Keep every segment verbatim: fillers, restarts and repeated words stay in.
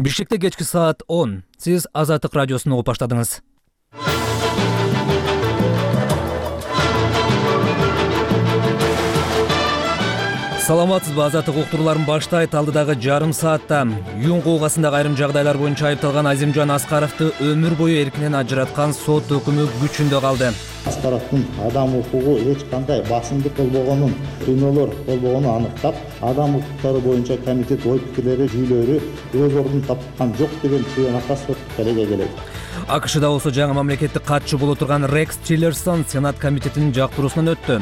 Бишкекте кечки саат он. Сиз Азаттык радиосун угуп баштадыңыз. Саламатсызбы, Азаттык уктурууларын баштайт. Алдыдагы жарым саатта Юн куугасындагы айрым жагдайлар боюнча айыпталган Азимжан Аскаровду өмүр бою эркинен ажыраткан сот өкүмү күчүндө калды. Аскаровдун адам укугу эч кандай басымдык болбогонун, кыйноолор болбогонун аныктап, адам укуктары боюнча комитет ой пикирлери, жүйөлөрү өз ордун тапкан жок деген тыянакка сот келеге келет. АКШда болсо жаңы мамлекеттик катчы боло турган Рекс Тиллерсон Сенат комитетинин жактыруусунан өттү.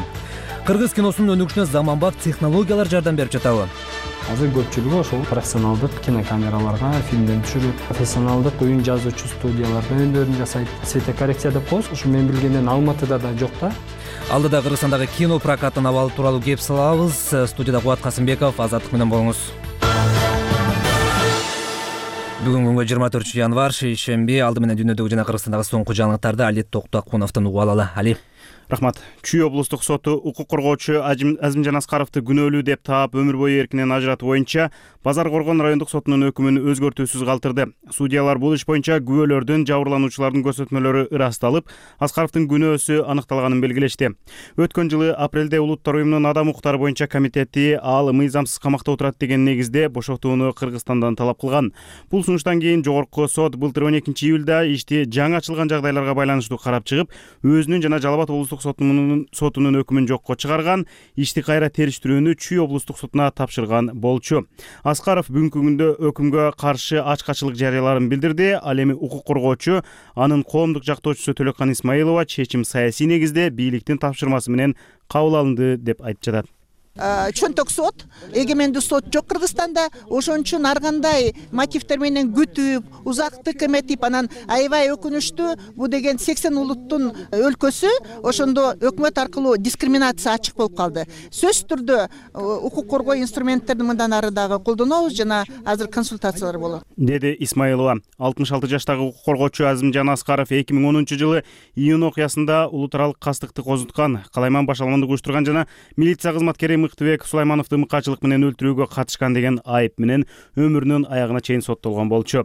Кыргыз киносунун өнүгүшүнө заманбап технологиялар жардам берип жатабы? Азыр көпчүлүгү ошол профессионалдык кинокамераларга фильмдерин түшүрүп, профессионалдык оюн жазуучу студияларда өндөрүн жасайт. Светокоррекция деп коебуз. Ушу мен билгенден Алматыда да жок да. Алдыда Кыргызстандагы кино прокаттын абалы тууралуу кеп салабыз. Студияда Кубат Касымбеков, Азаттык менен болуңуз. Бүгүн күнгө жыйырма төртүнчү январь, шейшемби. Алды менен дүйнөдөгү жана Кыргызстандагы соңку жаңылыктарды Али Токтокуновдон угуп алалы. Али. Рахмат. Чүй облустук соту укук коргоочу Азимжан Аскаровду күнөөлүү деп таап өмүр бою эркинен ажыратуу боюнча Базар Коргон райондук сотунун өкүмүн өзгөртүүсүз калтырды. Судьялар бул иш боюнча күбөлөрдүн, жабырлануучулардын көрсөтмөлөрү ырасталып, Аскаровдун күнөөсү аныкталганын белгилешти. Өткөн жылы апрелде Улуттар уюмунун адам укуктары боюнча комитети ал мыйзамсыз камакта отурат деген негизде бошотууну Кыргызстандан талап кылган. Бул сунуштан кийин жогорку сот былтыр он экинчи июлда ишти жаңы ачылган жагдайларга байланыштуу карап чыгып, өзүнүн жана Жалал Абад облустук сотунун сотунун өкүмүн жокко чыгарган, ишти кайра териштирүүнү Чүй облустук сотуна тапшырган болчу. Аскаров бүгүнкү күндө өкүмгө каршы ачкачылык жарыяларын билдирди. Ал эми укук коргоочу, анын коомдук жактоочусу Төлөккан Исмаилова чечим саясий негизде бийликтин тапшырмасы менен кабыл алынды деп айтып жатат. Чөнтөк сот, эгемендүү сот жок Кыргызстанда, ошон үчүн ар кандай мотивдер менен күтүп, узактык эметип, анан аябай өкүнүчтүү. Бул деген сексен улуттун өлкөсү, ошондо өкмөт аркылуу дискриминация ачык болуп калды. Сөзсүз түрдө укук коргоо инструменттерин мындан ары дагы колдонобуз жана азыр консультациялар болот, деди Исмаилова. алтымыш алты жаштагы укук коргоочу Азимжан Аскаров эки миң онунчу жылы июнь окуясында улут аралык кастыкты козуткан, калайман башаламандык уюштурган жана милиция кызматкери Мыктыбек Сулаймановду мыкаачылык менен өлтүрүүгө катышкан деген айып менен өмүрүнүн аягына чейин соттолгон болчу.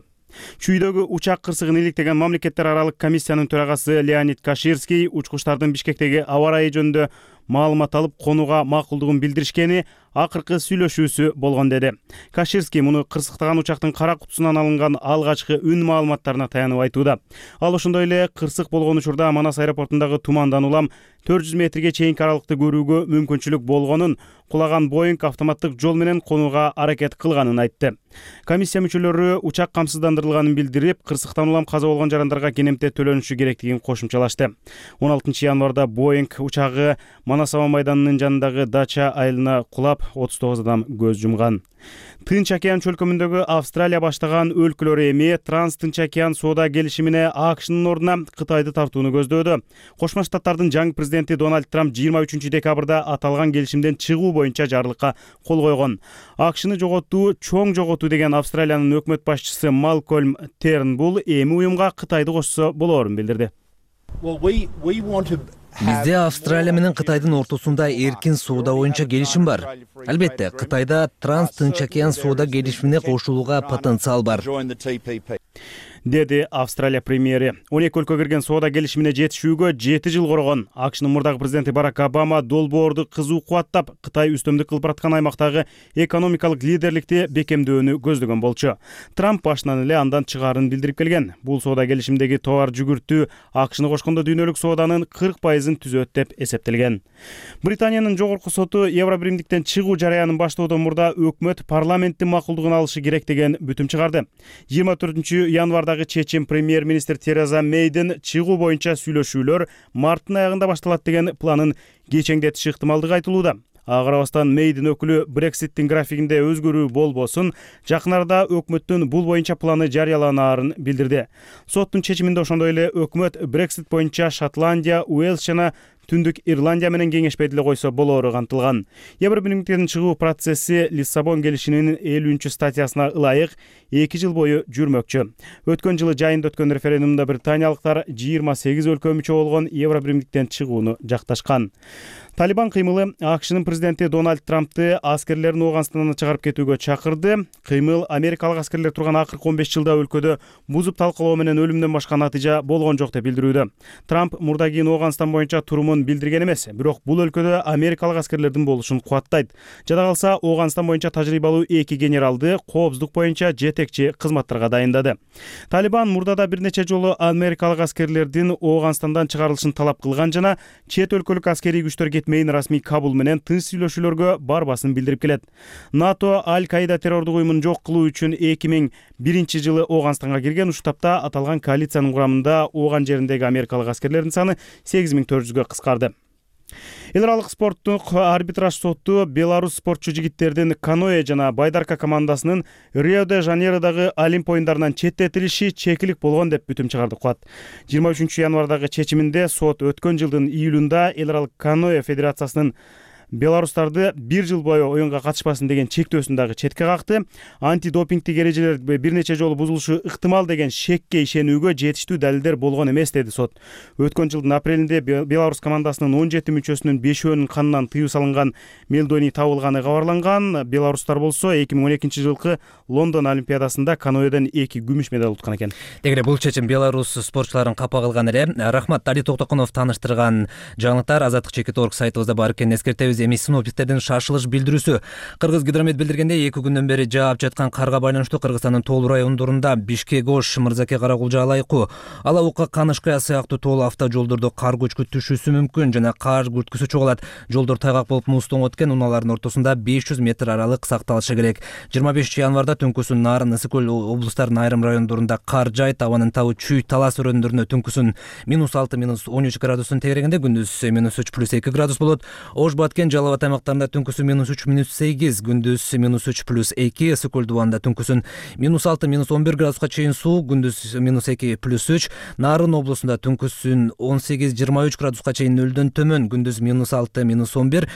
Чүйдөгү учак кырсыгын иликтеген мамлекеттер аралык комиссиянын төрагасы Леонид Каширский учкучтардын Бишкектеги аба ырайы жөнүндө маалымат алып, конууга макулдугун билдиришкени акыркы сүйлөшүүсү болгон деди. Каширский муну кырсыктаган учактын кара кутусунан алынган алгачкы үн маалыматтарына таянып айтууда. Ал ошондой эле кырсык болгон учурда Манас аэропортундагы тумандан улам төрт жүз метрге чейинки аралыкты көрүүгө мүмкүнчүлүк болгонун, кулаган Боинг автоматтык жол менен конууга аракет кылганын айтты. Комиссия мүчөлөрү учак камсыздандырылганын билдирип, кырсыктан улам каза болгон жарандарга кенемте төлөнүшү керектигин кошумчалашты. он алтынчы январда Боинг учагы Манас аба майданынын жанындагы дача айылына кулап, отуз тогуз адам көз жумган. Тынч океан чөлкөмүндөгү Австралия баштаган өлкөлөр эми Транс-Тынч океан соода келишимине АКШнын ордуна Кытайды тартууну көздөөдө. Кошмо Штаттардын жаңы президенти Дональд Трамп жыйырма үчүнчү декабрда аталган келишимден чыгуу боюнча жарлыкка кол койгон. АКШны жоготуу, чоң жоготуу деген Австралиянын өкмөт башчысы Малкольм Тернбул эми уюмга Кытайды кошсо болоорун билдирди. Бизде Австралия менен Кытайдын ортосунда эркин соода боюнча келишим бар. Албетте, Кытайда Транс-Тынч океан соода келишимине кошулууга потенциал бар, деди Австралия премьери. он эки өлкө кирген соода келишимине жетишүүгө жети жыл коргон. АКШнын мурдагы президенти Барак Обама долбоорду кызуу кубаттап, Кытай үстөмдүк кылып бараткан аймактагы экономикалык лидерликти бекемдөөнү көздөгөн болчу. Трамп башынан эле андан чыгаарын билдирип келген. Бул соода келишимдеги товар жүгүртүү АКШны кошкондо дүйнөлүк сооданын кырк пайызын түзөт деп эсептелген. Британиянын жогорку соту Евробиримдиктен чыгуу жараянын баштоодон мурда өкмөт парламенттин макулдугун алышы керек деген бүтүм чыгарды. жыйырма төртүнчү январдагы чечим премьер-министр Тереза Мейдин чыгуу боюнча сүйлөшүүлөр марттын аягында башталат деген планын кечеңдетиши ыктымалдыгы айтылууда. Ага карабастан Мейдин өкүлү Брекситтин графигинде өзгөрүү болбосун, жакын арада өкмөттүн бул боюнча планы жарыяланаарын билдирди. Соттун чечиминде ошондой эле өкмөт Брексит боюнча Шотландия, Уэльс жана Түндүк Ирландия менен кеңешпей деле койсо болоору кантылган. Евробиримдиктен чыгуу процесси Лиссабон келишиминин элүүнчү статьясына ылайык эки жыл бою жүрмөкчү. Өткөн жылы жайында өткөн референдумда британиялыктар жыйырма сегиз өлкө мүчө болгон Евробиримдиктен чыгууну жакташкан. Талибан кыймылы АКШнын президенти Дональд Трампты аскерлерин Ооганстандан чыгарып кетүүгө чакырды. Кыймыл америкалык аскерлер турган акыркы он беш жылда өлкөдө бузуп талкалоо менен өлүмдөн башка натыйжа болгон жок деп билдирүүдө. Трамп мурда кийин Ооганстан боюнча турумун билдирген эмес, бирок бул өлкөдө америкалык аскерлердин болушун кубаттайт. Жада калса, Ооганстан боюнча тажрыйбалуу эки генералды коопсуздук боюнча жетекчи кызматтарга дайындады. Талибан мурда да бир нече жолу америкалык аскерлердин Ооганстандан чыгарылышын талап кылган жана чет өлкөлүк аскерий күчтөр кетмейин расмий Кабул менен тынч сүйлөшүүлөргө барбасын билдирип келет. НАТО Аль-Каида террордук уюмун жок кылуу үчүн эки миң биринчи жылы Ооганстанга кирген. Ушул тапта аталган коалициянын курамында Ооган жериндеги америкалык аскерлердин саны сегиз миң төрт жүзгө кыскарды. Эл аралык спорттук арбитраж соту беларус спортчу жигиттердин каноэ жана байдарка командасынын Рио-де-Жанейродогу Олимп оюндарынан четтетилиши чекилик болгон деп бүтүм чыгарды кылат. жыйырма үчүнчү январдагы чечиминде сот өткөн жылдын июлунда эл аралык каноэ федерациясынын беларустарды бир жыл бою оюнга катышпасын деген чектөөсүн дагы четке какты. Антидопингтик эрежелер бир нече жолу бузулушу ыктымал деген шекке ишенүүгө жетиштүү далилдер болгон эмес, деди сот. Өткөн жылдын апрелинде беларус командасынын он жети мүчөсүнүн бешөөнүн канынан тыюу салынган мелдоний табылганы кабарланган. Беларустар болсо эки миң он экинчи жылкы Лондон олимпиадасында каноэден эки күмүш медаль уткан экен. Дегере бул чечим беларус спортчуларын капа кылган эле. Рахмат, Дали Токтокунов таныштырган жаңылыктар азаттык чекит точка орг сайтыбызда бар экенин эскертебиз. Эми синоптиктердин шашылыш билдирүүсү. Кыргыз гидромет билдиргендей, эки күндөн бери жаап жаткан карга байланыштуу Кыргызстандын Тоол райондорунда Бишкек, Ош, Мырзаке, Каракулжа, Алайкуу, Алабука, Канышкая сыяктуу тоол автожолдордо кар көчкү түшүүсү мүмкүн жана кар күрткүсү чоголат. Жолдор тайгак болуп муздон өткөн, унаалардын ортосунда беш жүз метр аралык сакталышы керек. жыйырма бешинчи январда түнкүсүн Нарын, Ысык көл облустарынын айрым райондорунда кар жайт, абанын табы Чүй, Талас өрөөндарында түнкүсүн минус алты минус он үч градустун тегерегинде, күндүз минус үч плюс эки градус болот. Ош, Баткен, Жалал абад аймактарында түнкүсү минус үч минус сегиз, күндүз минус үч плюс эки, Ысык көл дубанында түнкүсүн минус алты минус он бир градуска чейин суу, күндүз минус эки плюс үч, Нарын облусунда түнкүсүн он сегиз жыйырма үч градуска чейин нөлдөн төмөн, күндүз минус алты минус он бир,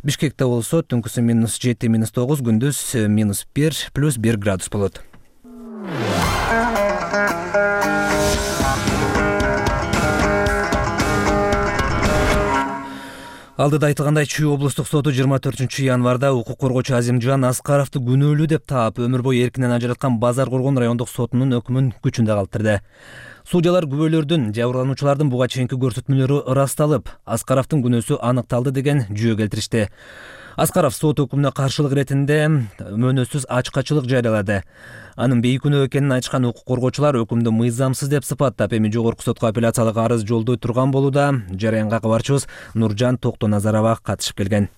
Бишкекте болсо түнкүсү минус жети минус тогуз, күндүз минус бир плюс бир градус болот. Алдыда айтылгандай, Чүй облустук соту жыйырма төртүнчү январда укук коргоочу Азимжан Аскаровду күнөөлүү деп таап, өмүр бою эркинен ажыраткан Базар Коргон райондук сотунун өкүмүн күчүндө калтырды. Судьялар күбөлөрдүн, жабырлануучулардын буга чейинки көрсөтмөлөрү ырасталып, Аскаровдун күнөөсү аныкталды деген жүйө келтиришти. Аскаров сот өкүмүнө каршылык иретинде мөөнөтсүз ачкачылык жарыялады. Анын бейкүнөө экенин айтышкан укук коргоочулар өкүмдү мыйзамсыз деп сыпаттап, эми жогорку сотко апелляциялык арыз жолдой турган болууда. Жараянга кабарчыбыз Нуржан Токтоназарова катышып келген.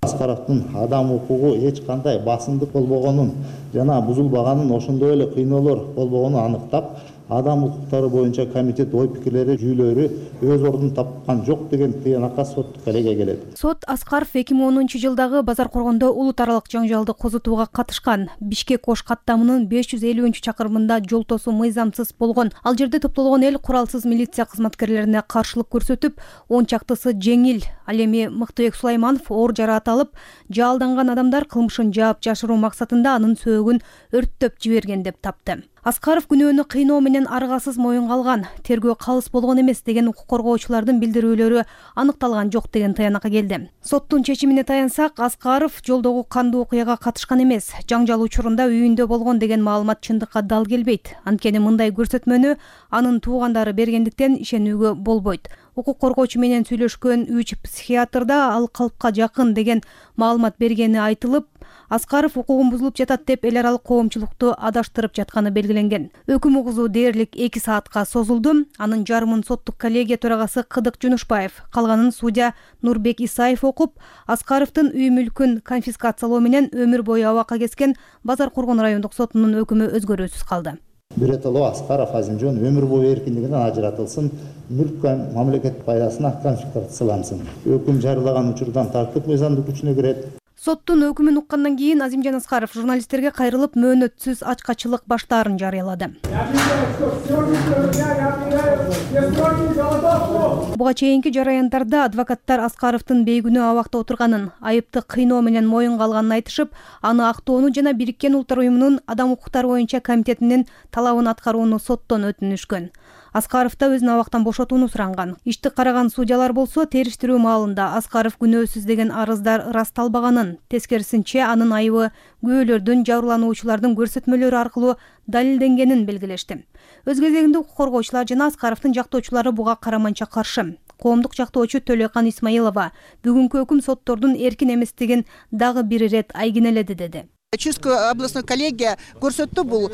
Аскаровдун адам укугу эч кандай басымдык болбогонун жана бузулбаганын, ошондой эле кыйноолор болбогонун аныктап, адам укуктары боюнча комитет ой пикирлери, жүйөлөрү өз ордун тапкан жок деген тыянакка соттук элеге келет. Сот Аскаров эки миң онунчу жылдагы Базар Коргондо улут аралык жаңжалды козутууга катышкан. Бишкек Ош каттамынын беш жүз элүүнчү чакырымында жол тосуу мыйзамсыз болгон. Ал жерде топтолгон эл куралсыз милиция кызматкерлерине каршылык көрсөтүп, он чактысы жеңил. Ал эми Мыктыбек Сулайманов оор жараат алып, жаалданган адамдар кылмышын жаап жашыруу максатында анын сөөгүн өрттөп жиберген деп тапты. Аскаров күнөөнү кыйноо менен аргасыз моюнга алган, тергөө калыс болгон эмес деген укук коргоочулардын билдирүүлөрү аныкталган жок деген таянакка келди. Соттун чечимине таянсак, Аскаров жолдогу кандуу окуяга катышкан эмес, жаңжал учурунда үйүндө болгон деген маалымат чындыкка дал келбейт. Анткени мындай көрсөтмөнү анын туугандары бергендиктен ишенүүгө болбойт. Укук коргоочу менен сүйлөшкөн үч психиатрда ал калпка жакын деген маалымат бергени айтылып, Аскаров укугун бузулуп жатат деп эл аралык коомчулукту адаштырып жатканы белгиленген. Өкүм угузуу дээрлик эки саатка созулду. Анын жарымын соттук коллегия төрагасы Кыдык Жунушбаев, калганын судья Нурбек Исаев окуп, Аскаровдун үй мүлкүн конфискациялоо менен өмүр бою абакка кескен Базар Коргон райондук сотунун өкүмү өзгөрүүсүз калды. Биротоло Аскаров Азимжан өмүр бою эркиндигинен ажыратылсын, мүлк мамлекет пайдасына конфискациялансын. Өкүм жарыялаган учурдан тартып мыйзамдык күчүнө кирет. Соттун өкүмүн уккандан кийин Азимжан Аскаров журналисттерге кайрылып мөөнөтсүз ачкачылык баштаарын жарыялады. Буга чейинки жараяндарда адвокаттар Аскаровдун бейгүнөө абакта отурганын, айыпты кыйноо менен моюнга алганын айтышып, аны актоону жана Бириккен Улуттар уюмунун Адам укуктары боюнча комитетинин талабын аткарууну соттон өтүнүшкөн. Аскаров да өзүн абактан бошотууну суранган. Ишти караган судьялар болсо териштирүү маалында Аскаров күнөөсүз деген арыздар ырасталбаганын, тескерисинче анын айыбы күбөлөрдүн, жабырлануучулардын көрсөтмөлөрү аркылуу далилденгенин белгилешти. Өз кезегинде укук коргоочулар жана Аскаровдун жактоочулары буга караманча каршы. Коомдук жактоочу Төлөкан Исмаилова бүгүнкү өкүм соттордун эркин эместигин дагы бир ирет айгинеледи деди. Чуйская областной коллегия көрсөттү, бул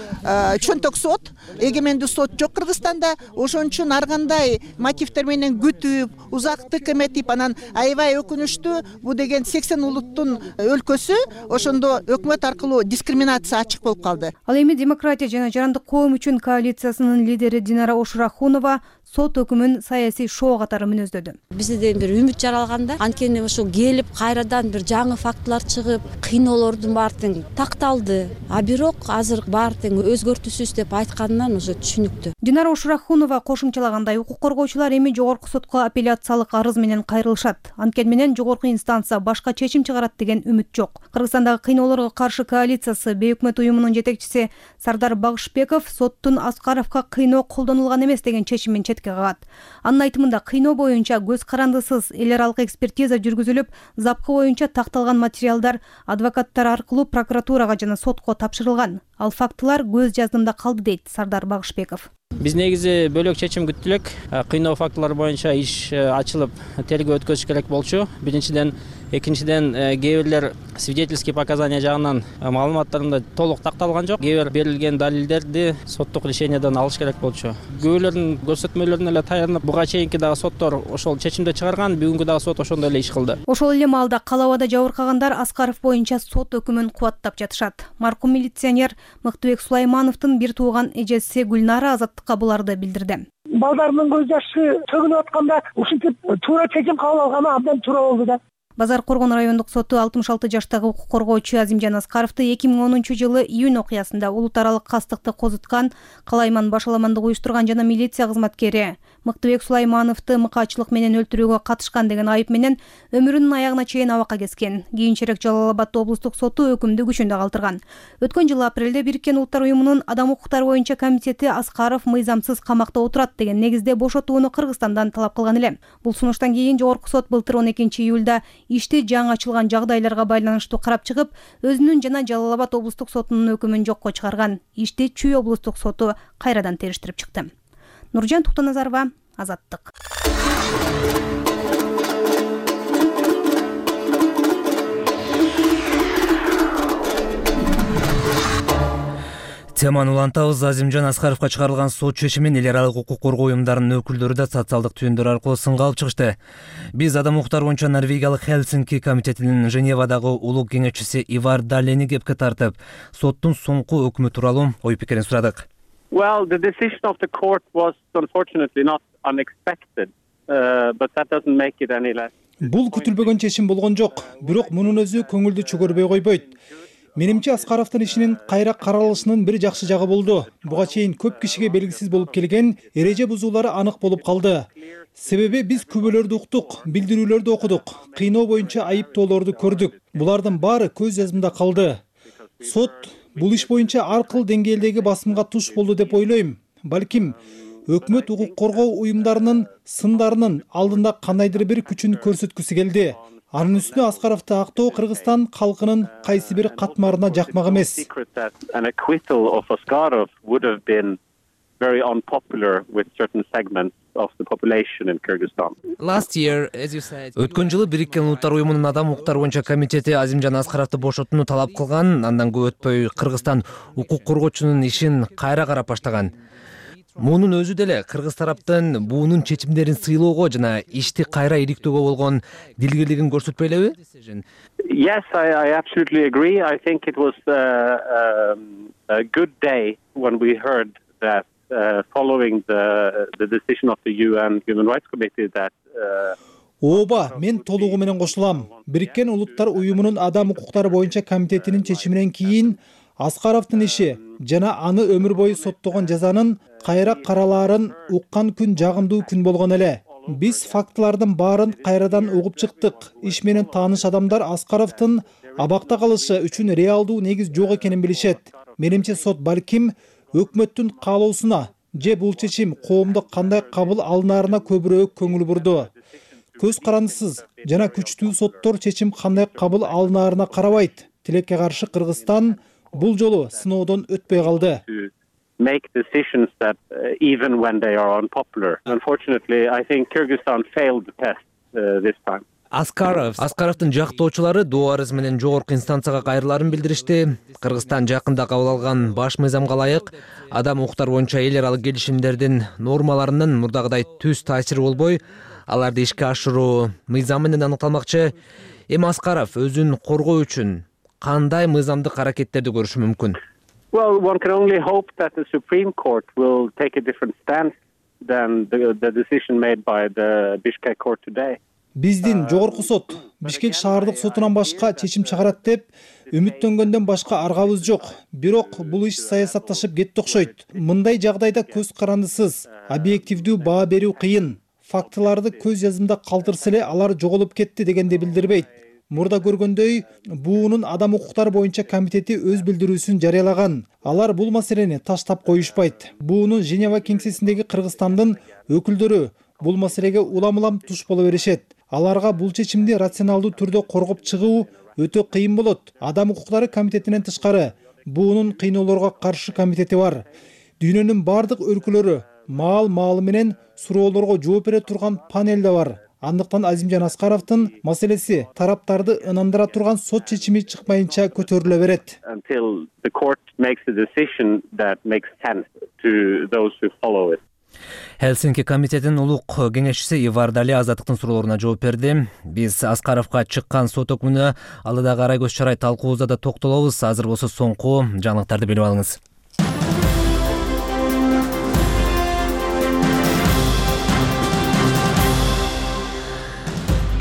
чөнтөк сот, эгемендүү сот жок Кыргызстанда. Ошон үчүн ар кандай мотивдер менен күтүп, узактык эметип, анан аябай өкүнүчтүү, бул деген сексен улуттун өлкөсү, ошондо өкмөт аркылуу дискриминация ачык болуп калды. Ал эми Демократия жана Жарандык коом үчүн коалициясынын лидери Динара Ошурахунова сот өкүмүн саясий шоо катары мүнөздөдү. Бизде бир үмүт жаралганда, анткени ошо келип кайрадан бир жаңы фактылар чыгып, кыйноолордун баары такталды. А бирок азыр баары тең өзгөртүүсүз деп айтканынан уже түшүнүктүү. Динара Ошурахунова кошумчалагандай, укук коргоочулар эми жогорку сотко апелляциялык арыз менен кайрылышат. Анткени менен жогорку инстанция башка чечим чыгарат деген үмүт жок. Кыргызстандагы кыйноолорго каршы коалициясы бейөкмөт уюмунун жетекчиси Сардар Багышбеков соттун Аскаровго кыйноо колдонулган эмес деген чечимин четке кагат. Анын айтымында кыйноо боюнча көз карандысыз эл аралык экспертиза жүргүзүлүп, запкы боюнча такталган материалдар адвокаттар аркылуу прокуратурага жана сотко тапшырылган. Ал фактылар көз жаздымда калды дейт Сардар Багышбеков. Биз негизи бөлөк чечим күттү элек. Кыйноо фактылары боюнча иш ачылып, тергөө өткөзүш керек болчу. Биринчиден, экинчиден кээ бирлер свидетельский показания жагынан маалыматтарында толук такталган жок. Кээ бир берилген далилдерди соттук решениеден алыш керек болчу. Күбөлөрдүн көрсөтмөлөрүнө эле таянып, буга чейинки дагы соттор ошол чечимди чыгарган, бүгүнкү дагы сот ошондой эле иш кылды. Ошол эле маалда кала абада жабыркагандар Аскаров боюнча сот өкүмүн кубаттап жатышат. Маркум милиционер Мыктыбек Сулаймановдун бир тууган эжеси Гүлнара Азаттыкка буларды билдирди. Балдарымдын көз жашы төгүлүп атканда ушинтип туура чечим кабыл алганы абдан туура болду да. Базар Коргон райондук соту алтымыш алты жаштагы укук коргоочу Азимжан Аскаровду эки миң онунчу жылы июнь окуясында улут аралык кастыкты козуткан, калайман башаламандык уюштурган жана милиция кызматкери Мыктыбек Сулаймановду мыкаачылык менен өлтүрүүгө катышкан деген айып менен өмүрүнүн аягына чейин абакка кескен. Кийинчерээк Жалал Абад облустук соту өкүмдү күчүндө калтырган. Өткөн жылы апрелде Бириккен Улуттар уюмунун Адам укуктары боюнча комитети Аскаров мыйзамсыз камакта отурат деген негизде бошотууну Кыргызстандан талап кылган эле. Бул сунуштан кийин жогорку сот былтыр он экинчи июлда ишти жаңы ачылган жагдайларга байланыштуу карап чыгып, өзүнүн жана Жалал Абад облустук сотунун өкүмүн жокко чыгарган. Ишти Чүй облустук соту кайрадан териштирип чыкты. Нуржан Туктаназарова, Азаттык. Теманы улантабыз. Азимжан Аскаровго чыгарылган сот чечимин эл аралык укук коргоо уюмдарынын өкүлдөрү да социалдык түйүндөр аркылуу сынга алып чыгышты. Биз Адам укуктары боюнча Норвегиялык Хелсинки комитетинин Женевадагы улуу кеңешчиси Ивар Далени кепке тартып, соттун соңку өкүмү тууралуу ой пикирин сурадык. Well, the decision of the court was unfortunately not unexpected, uh, but that doesn't make it any less. Бул күтүлбөгөн чечим болгон жок, бирок мунун өзү көңүлдү чөгөрбөй койбойт. Менимче Аскаровдун ишинин кайра каралышынын бир жакшы жагы болду. Буга чейин көп кишиге белгисиз болуп келген эреже бузуулары анык болуп калды. Себеби биз күбөлөрдү уктук, билдирүүлөрдү окудук, кыйноо боюнча айыптоолорду көрдүк. Булардын баары көз жазымда калды. Сот бул иш боюнча ар кыл деңгээлдеги басымга туш болду деп ойлойм. Балким өкмөт укук коргоо уюмдарынын сындарынын алдында кандайдыр бир күчүн көрсөткүсү келди. Анын үстүнө Аскаровду актоо Кыргызстан калкынын кайсы бир катмарына жакмак эмес. Өткөн жылы Бириккен Улуттар уюмунун Адам укуктары боюнча комитети Азимжан Аскаровду бошотууну талап кылган. Андан көп өтпөй Кыргызстан укук коргоочунун ишин кайра карап баштаган. Мунун өзү деле кыргыз тараптын буунун чечимдерин сыйлоого жана ишти кайра иликтөөгө болгон дилгирлигин көрсөтпөй элеби? Yes, I, I absolutely agree. I think it was uh, um, a good day when we heard that uh, following the the decision of the U N Human Rights Committee that uh, ооба, мен толугу менен кошулам. Бириккен Улуттар уюмунун адам укуктары боюнча комитетинин чечиминен кийин Аскаровдун иши жана аны өмүр бою соттогон жазанын кайра каралаарын уккан күн жагымдуу күн болгон эле. Биз фактылардын баарын кайрадан угуп чыктык. Иш менен тааныш адамдар Аскаровдун абакта калышы үчүн реалдуу негиз жок экенин билишет. Менимче сот балким өкмөттүн каалоосуна же бул чечим коомдо кандай кабыл алынаарына көбүрөөк көңүл бурду. Көз карандысыз жана күчтүү соттор чечим кандай кабыл алынаарына карабайт. Тилекке каршы Кыргызстан бул жолу сыноодон өтпөй калды. Make decisions that uh, even when they are unpopular. Unfortunately, I think Kyrgyzstan failed the test uh, this time. Аскаров Аскаровдун жактоочулары доо арыз менен жогорку инстанцияга кайрылаарын билдиришти. Кыргызстан жакында кабыл алган баш мыйзамга ылайык адам укуктары боюнча эл аралык келишимдердин нормаларынын мурдагыдай түз таасири болбой, аларды ишке ашыруу мыйзам менен аныкталмакчы. Эми Аскаров өзүн коргоо үчүн кандай мыйзамдык аракеттерди көрүшү мүмкүн? Well, one can only hope that the Supreme Court will take a different stance than the, the decision made by the Bishkek court today. Биздин жогорку сот Бишкек шаардык сотунан башка чечим чыгарат деп үмүттөнгөндөн башка аргабыз жок. Бирок бул иш саясатташып кетти окшойт. Мындай жагдайда көз карандысыз, объективдүү баа берүү кыйын. Фактыларды көз жазымда калтырса эле алар жоголуп кетти дегенди билдирбейт. Мурда көргөндөй, буунун адам укуктары боюнча комитети өз билдирүүсүн жарыялаган. Алар бул маселени таштап коюшпайт. Буунун Женева кеңсесиндеги Кыргызстандын өкүлдөрү бул маселеге улам-улам туш боло беришет. Аларга бул чечимди рационалдуу түрдө коргоп чыгуу өтө кыйын болот. Адам укуктары комитетинен тышкары буунун кыйноолорго каршы комитети бар. Дүйнөнүн бардык өлкөлөрү маал-маалы менен суроолорго жооп бере турган панел да бар. Андыктан Азимжан Аскаровдун маселеси тараптарды ынандыра турган сот чечими чыкмайынча көтөрүлө берет. Until the court makes a decision that makes sense to those who follow it. Хелсинки комитетинин улук кеңешчиси Ивар Дали азаттыктын суроолоруна жооп берди. Биз Аскаровго чыккан сот өкмүнө алдыдагы арай көз чарай талкуубузда да токтолобуз. Азыр болсо соңку жаңылыктарды билип алыңыз.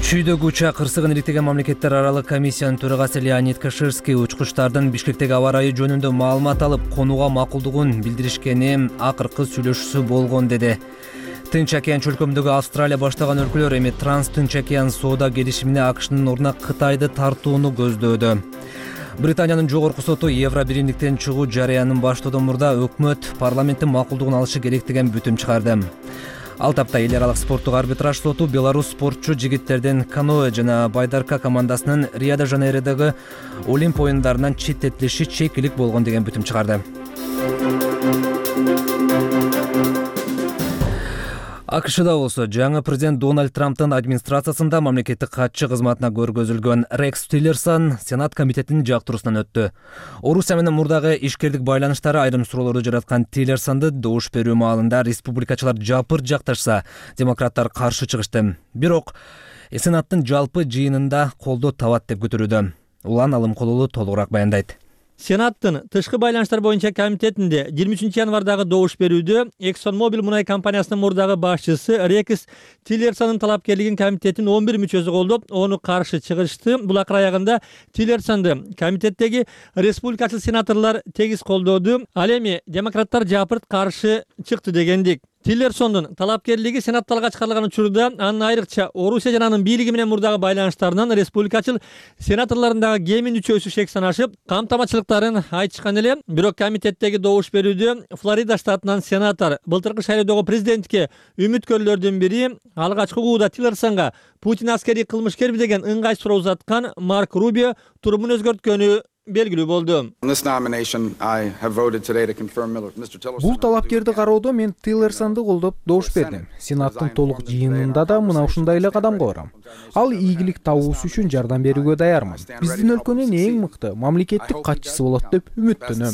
Чүйдөгү учак кырсыгын ириктеген мамлекеттер аралык комиссиянын төрагасы Леонид Каширский учкучтардын Бишкектеги аба ырайы жөнүндө маалымат алып, конууга макулдугун билдиришкени акыркы сүйлөшүүсү болгон деди. Тынч океан чөлкөмүндөгү Австралия баштаган өлкөлөр эми Транс-Тынч океан соода келишимине АКШнын ордуна Кытайды тартууну көздөөдө. Британиянын жогорку соту евро биримдиктен чыгуу жарыянын баштоодон мурда өкмөт парламенттин макулдугун алышы керек деген бүтүм чыгарды. Ал тапта эл аралык спорттук арбитраж соту Беларусь спортчу жигиттердин каноэ жана байдарка командасынын Рио-де-Жанейродогу Олимп оюндарынан четтетилиши чекилик болгон деген бүтүм чыгарды. АКШда болсо жаңы президент Дональд Трамптын администрациясында мамлекеттик катчы кызматына көргөзүлгөн Рекс Тиллерсон Сенат комитетинин жактыруусунан өттү. Орусия менен мурдагы ишкердик байланыштары айрым суроолорду жараткан Тиллерсонду добуш берүү маалында республикачылар жапыр жакташса, демократтар каршы чыгышты. Бирок Сенаттын жалпы жыйынында колдоо табат деп күтүлүүдө. Улан Алымкулулу толугураак баяндайт. Сенаттын тышкы байланыштар боюнча комитетинде жыйырма үчүнчү январдагы добуш берүүдө ExxonMobil мунай компаниясынын мурдагы башчысы Рекс Тиллерсонун талапкерлигин комитеттин он бир мүчөсү колдоп, ону каршы чыгышты. Бул акыр аягында Тиллерсонду комитеттеги республикачыл сенаторлор тегиз колдоду. Ал эми демократтар жапырт каршы чыкты дегендик. Тиллерсондун талапкерлиги сенатталга чыгарылган учурда анын айрыкча Орусия жана анын бийлиги менен мурдагы байланыштарынан республикачыл сенаторлорундагы кемин үчөөсү шек санашып, камтамачылыктарын айтышкан эле. Бирок комитеттеги добуш берүүдө Флорида штатынан сенатор былтыркы шайлоодогу президентке үмүткөрлөрдүн бири алгачкы угууда Тиллерсонго Путин аскерий кылмышкерби деген ыңгай суроо узаткан Марк Рубио турумун өзгөрткөнү белгилүү болду. Бул талапкерди кароодо мен Тиллерсонду колдоп добуш бердим. Сенаттын толук жыйынында да мына ушундай эле кадамга барам. Ал ийгилик табуусу үчүн жардам берүүгө даярмын. Биздин өлкөнүн эң мыкты мамлекеттик катчысы болот деп үмүттөнөм.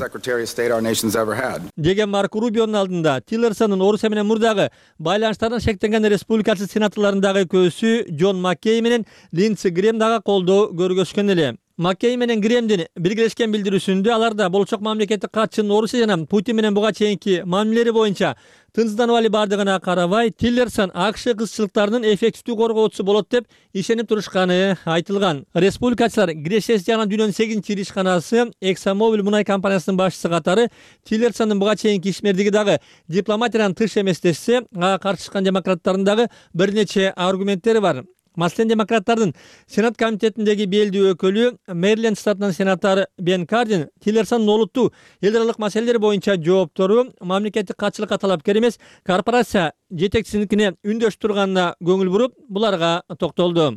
Деген Марк Рубионун алдында Тиллерсондун Орусия менен мурдагы байланыштарынан шектенген республикачыл сенаторлорундагы көзү Джон Маккей менен Линдси Грэм дагы колдоо көргөзгөн эле. Маккей менен Кремдин биргелешкен билдирүүсүндө алар да болочок мамлекеттик катчынын Орусия жана Путин менен буга чейинки мамилелери боюнча тынчсызданып али бардыгына карабай, Тиллерсон АКШ кызчылыктарынын эффективдүү коргоочусу болот деп ишенип турушканы айтылган. Республикачылар Грешес жагынан дүйнөнүн сегизинчи ири ишканасы ExxonMobil мунай компаниясынын башчысы катары Тиллерсондун буга чейинки ишмердиги дагы дипломатиядан тыш эмес дешсе, ага каршы чыккан демократтардын дагы бир нече аргументтери бар. Маселен, демократтардын Сенат комитетиндеги белдүү өкүлү Мэриленд штатынын сенатары Бен Кардин Тиллерсондун олуттуу эл аралык маселелер боюнча жооптору мамлекеттик катчылыкка талапкер эмес, корпорация жетекчисиникине үндөш турганына көңүл буруп, буларга токтолду.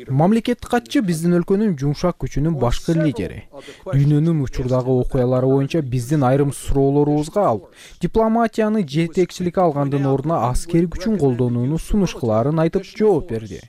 Мамлекеттик катчы биздин өлкөнүн жумшак күчүнүн башкы лидери. Дүйнөнүн учурдагы окуялары боюнча биздин айрым суроолорубузга алып, дипломатияны жетекчиликке алгандын ордуна аскери күчүн колдонууну сунуш кылаарын айтып жооп берди.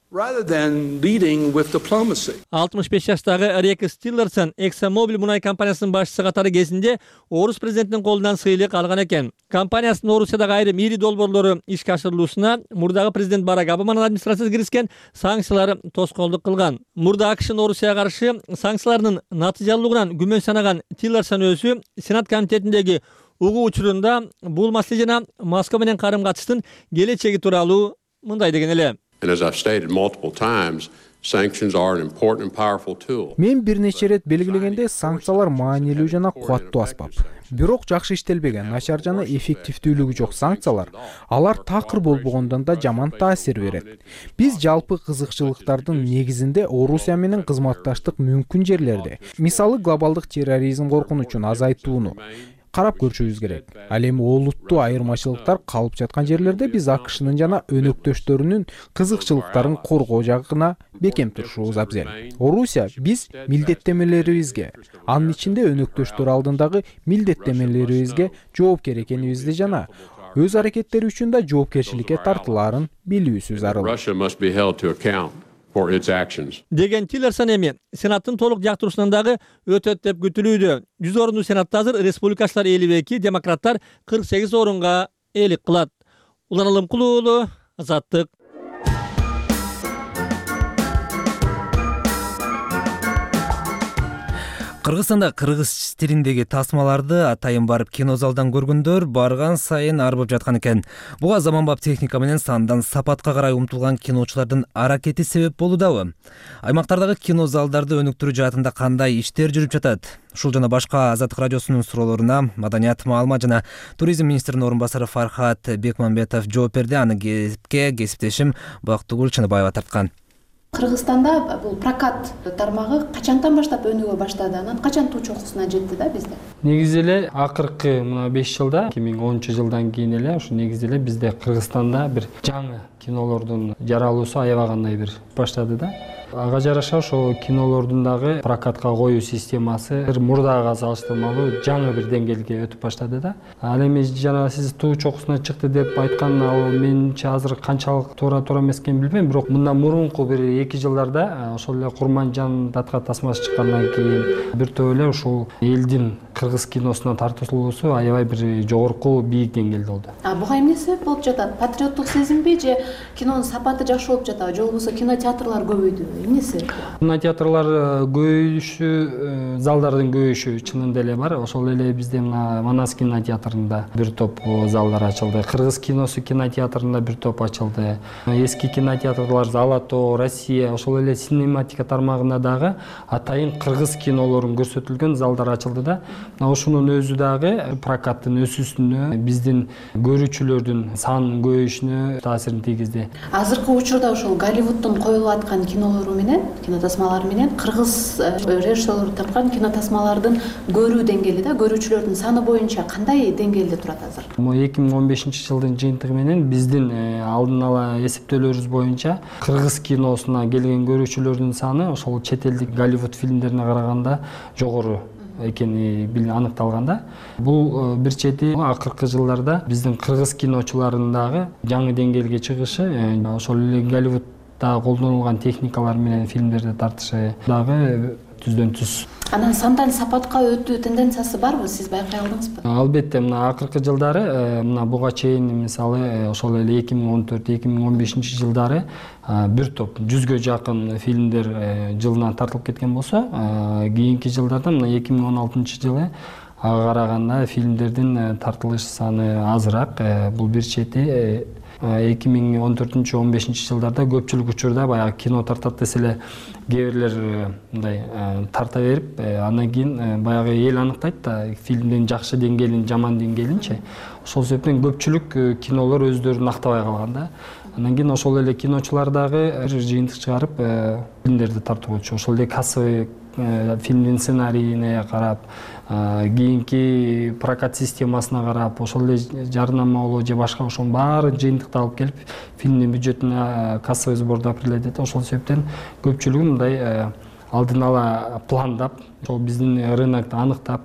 алтымыш беш жаштагы Рекс Тиллерсон ExxonMobil мунай компаниясынын башчысы катары кезинде Орус президентинин колунан сыйлык алган экен. Компаниясынын Орусиядагы айрым ири долбоорлору ишке ашырылуусуна мурдагы президент Барак Обаманын администрациясы киришкен санкциялар тоскоолдук кылган. Мурда АКШнын Орусияга каршы санкцияларынын натыйжалуулугунан күмөн санаган Тиллерсон өзү Сенат комитетиндеги угуу учурунда бул маселе жана Москва менен карым-катыштын келечеги тууралуу мындай деген эле. Мен бир нече ирет белгилегенде, санкциялар маанилүү жана кубаттуу аспап. Бирок жакшы иштелбеген, начар жана эффективдүүлүгү жок санкциялар, алар такыр болбогондон да жаман таасир берет. Биз жалпы кызыкчылыктардын негизинде Орусия менен кызматташтык мүмкүн жерлерде, мисалы глобалдык терроризм коркунучун азайтууну карап көрүшүбүз керек. Ал эми олуттуу айырмачылыктар калып жаткан жерлерде биз АКШнын жана өнөктөштөрүнүн кызыкчылыктарын коргоо жагына бекем турушубуз абзел. Орусия биз милдеттемелерибизге, анын ичинде өнөктөштөр алдындагы милдеттемелерибизге жоопкер экенибизди жана өз аракеттери үчүн да жоопкерчиликке тартылаарын билүүсү зарыл. Деген Тиллерсон эми Сенаттын толук жактыруусунан дагы өтөт деп күтүлүүдө. жүз орунду Сенатта азыр республикачылар элүү эки, демократтар кырк сегиз орунга ээлик кылат. Улан Алымкулуу уулу, Азаттык. Кыргызстанда кыргыз тилиндеги тасмаларды атайын барып кинозалдан көргөндөр барган сайын арбып жаткан экен. Буга заманбап техника менен сандан сапатка карай умтулган киночулардын аракети себеп болуудабы? Аймактардагы кинозалдарды өнүктүрүү жаатында кандай иштер жүрүп жатат? Ушул жана башка Азаттык радиосунун суроолоруна Маданият, маалымат жана туризм министринин орун басары Фархат Бекмамбетов жооп берди. Аны кепке кесиптешим Бактыгүл Чыныбаева тарткан. Кыргызстанда бул прокат тармагы качантан баштап өнүгө баштады? Анан качан туу чокусуна жетти да бизде? Негизи эле акыркы мына беш жылда, эки миң онунчу жылдан кийин эле ушу негизи эле бизде Кыргызстанда бир жаңы кинолордун жаралуусу аябагандай бир баштады да. Ага жараша ошо кинолордун дагы прокатка коюу системасы мурдага салыштырмалуу жаңы бир деңгээлге өтүп баштады да. Ал эми жана сиз туу чокусуна чыкты деп айткан, ал менимче азыр канчалык туура туура эмес экенин билбейм, бирок мындан мурунку бир эки жылдарда ошол эле Курманжан датка тасмасы чыккандан кийин бир топ эле ушул элдин кыргыз киносуна тартылуусу аябай бир жогорку бийик деңгээлде болду. А буга эмне себеп болуп жатат? Патриоттук сезимби же кинонун сапаты жакшы болуп жатабы, же болбосо кинотеатрлар көбөйдүбү? Эмнеси? Кинотеатрлар көбөйүшү, залдардын көбөйүшү чынында эле бар. Ошол эле бизде мына Манас кинотеатрында бир топ залдар ачылды. Кыргыз киносу кинотеатрында бир топ ачылды. Эски кинотеатрлар Золото, Россия, ошол эле синематика тармагында дагы атайын кыргыз кинолорун көрсөтүлгөн залдар ачылды да. Ошонун өзү дагы прокаттын өсүүсүнө, биздин көрүүчүлөрдүн санынын көбөйүшүнө таасирин тийгизди. Азыркы учурда ошол Голливудтун коюлуп аткан кинолору менен, кинотасмалары менен кыргыз режиссерлор тарткан кинотасмалардын көрүү деңгээли да, көрүүчүлөрдүн саны боюнча кандай деңгээлде турат азыр? эки миң он бешинчи жылдын жыйынтыгы менен биздин алдын ала эсептөөлөрүбүз боюнча кыргыз киносуна келген көрүүчүлөрдүн саны ошол чет элдик Голливуд фильмдерине караганда жогору экени аныкталган да. Бул бир чети акыркы жылдарда биздин кыргыз киночуларынын дагы жаңы деңгээлге чыгышы, ошол эле Голливудда колдонулган техникалар менен фильмдерди тартышы дагы түздөн түз. Анан сандан сапатка өтүү тенденциясы барбы, сиз байкай алдыңызбы? Албетте, мына акыркы жылдары мына буга чейин мисалы ошол эле эки миң он төрт эки миң он бешинчи жылдары бир топ жүзгө жакын фильмдер жылына тартылып кеткен болсо, кийинки жылдарда мына эки миң он алтынчы жылы ага караганда фильмдердин тартылыш саны азыраак. Бул бир чети эки миң он төртүнчү он бешинчи жылдарда көпчүлүк учурда баягы кино тартат десе эле кээ бирлер мындай тарта берип, андан кийин баягы эл аныктайт да фильмдин жакшы деңгээлин, жаман деңгээлинчи. Ошол себептен көпчүлүк кинолор өздөрүн актабай калган да. Андан кийин ошол эле киночулар дагы бир жыйынтык чыгарып фильмдерди тартып болчу. Ошол эле кассовый фильмдин сценарийине карап, кийинки прокат системасына карап, ошол эле жарнамалоо же башка ошонун баарын жыйынтыкталып келип фильмдин бюджетине кассовый сборду определять. Ошол себептен көпчүлүгү мындай алдын ала пландап, ошол биздин рынокто аныктап,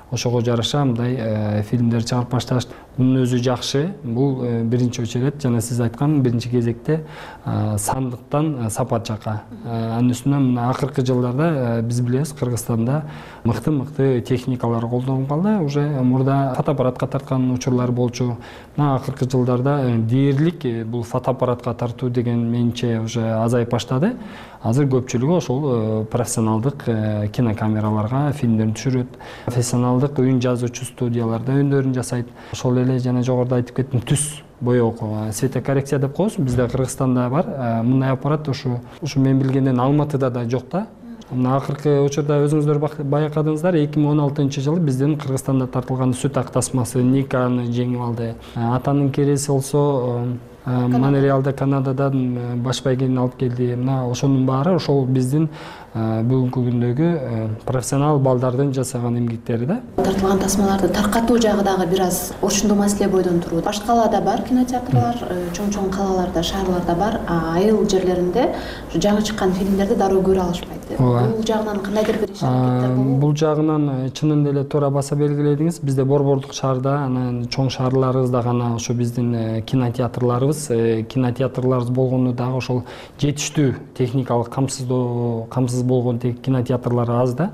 ошого жараша мындай фильмдер чыгарып башташты. Мунун өзү жакшы. Бул биринчи очередь жана сиз айткан биринчи кезекте сандыктан сапат жака. Анын үстүнө мына акыркы жылдарда биз билебиз, Кыргызстанда мыкты-мыкты техникалар колдонуп калды. Уже мурда фотоаппаратка тарткан учурлар болчу. Мына акыркы жылдарда дээрлик бул фотоаппаратка тартуу деген менимче уже азайып баштады. Азыр көпчүлүгү ошол профессионалдык кинокамераларга фильмдерин түшүрөт. Профессионалдык үн жазуучу студияларда үндөрүн жасайт. Ошол эле жана жогоруда айтып кеттим, түс боек, светокоррекция деп коебуз. Бизде Кыргызстанда бар. Мындай аппарат ушу ушу мен билгенден Алматыда да жок да. Мына акыркы учурда өзүңүздөр байкадыңыздар, эки миң он алтынчы жылы биздин Кыргызстанда тартылган сүт ак тасмасы Никаны жеңип алды. Атанын кереси болсо Монреалда, Канададан баш байгени алып келди. Мына ошонун баары ошол биздин бүгүнкү күндөгү профессионал балдардын жасаган эмгектери да. Тартылган тасмаларды таркатуу жагы дагы бир аз ошондо маселе бойдон турат. Башка калаада бар кинотеатрлар, чоң-чоң калаларда, шаарларда бар, а айыл жерлеринде жаңы чыккан фильмдерди дароо көрө алышпайт. Бул жагынан кандайдыр бир иш аракеттер болобу? Бул жагынан чынында эле туура баса белгиледиңиз. Бизде борбордук шаарда, анан чоң шаарларыбызда гана ошо биздин кинотеатрларыбыз, кинотеатрларыбыз болгону дагы ошол жетиштүү техникалык камсыздоо, камсыз болгон кинотеатрлар аз да.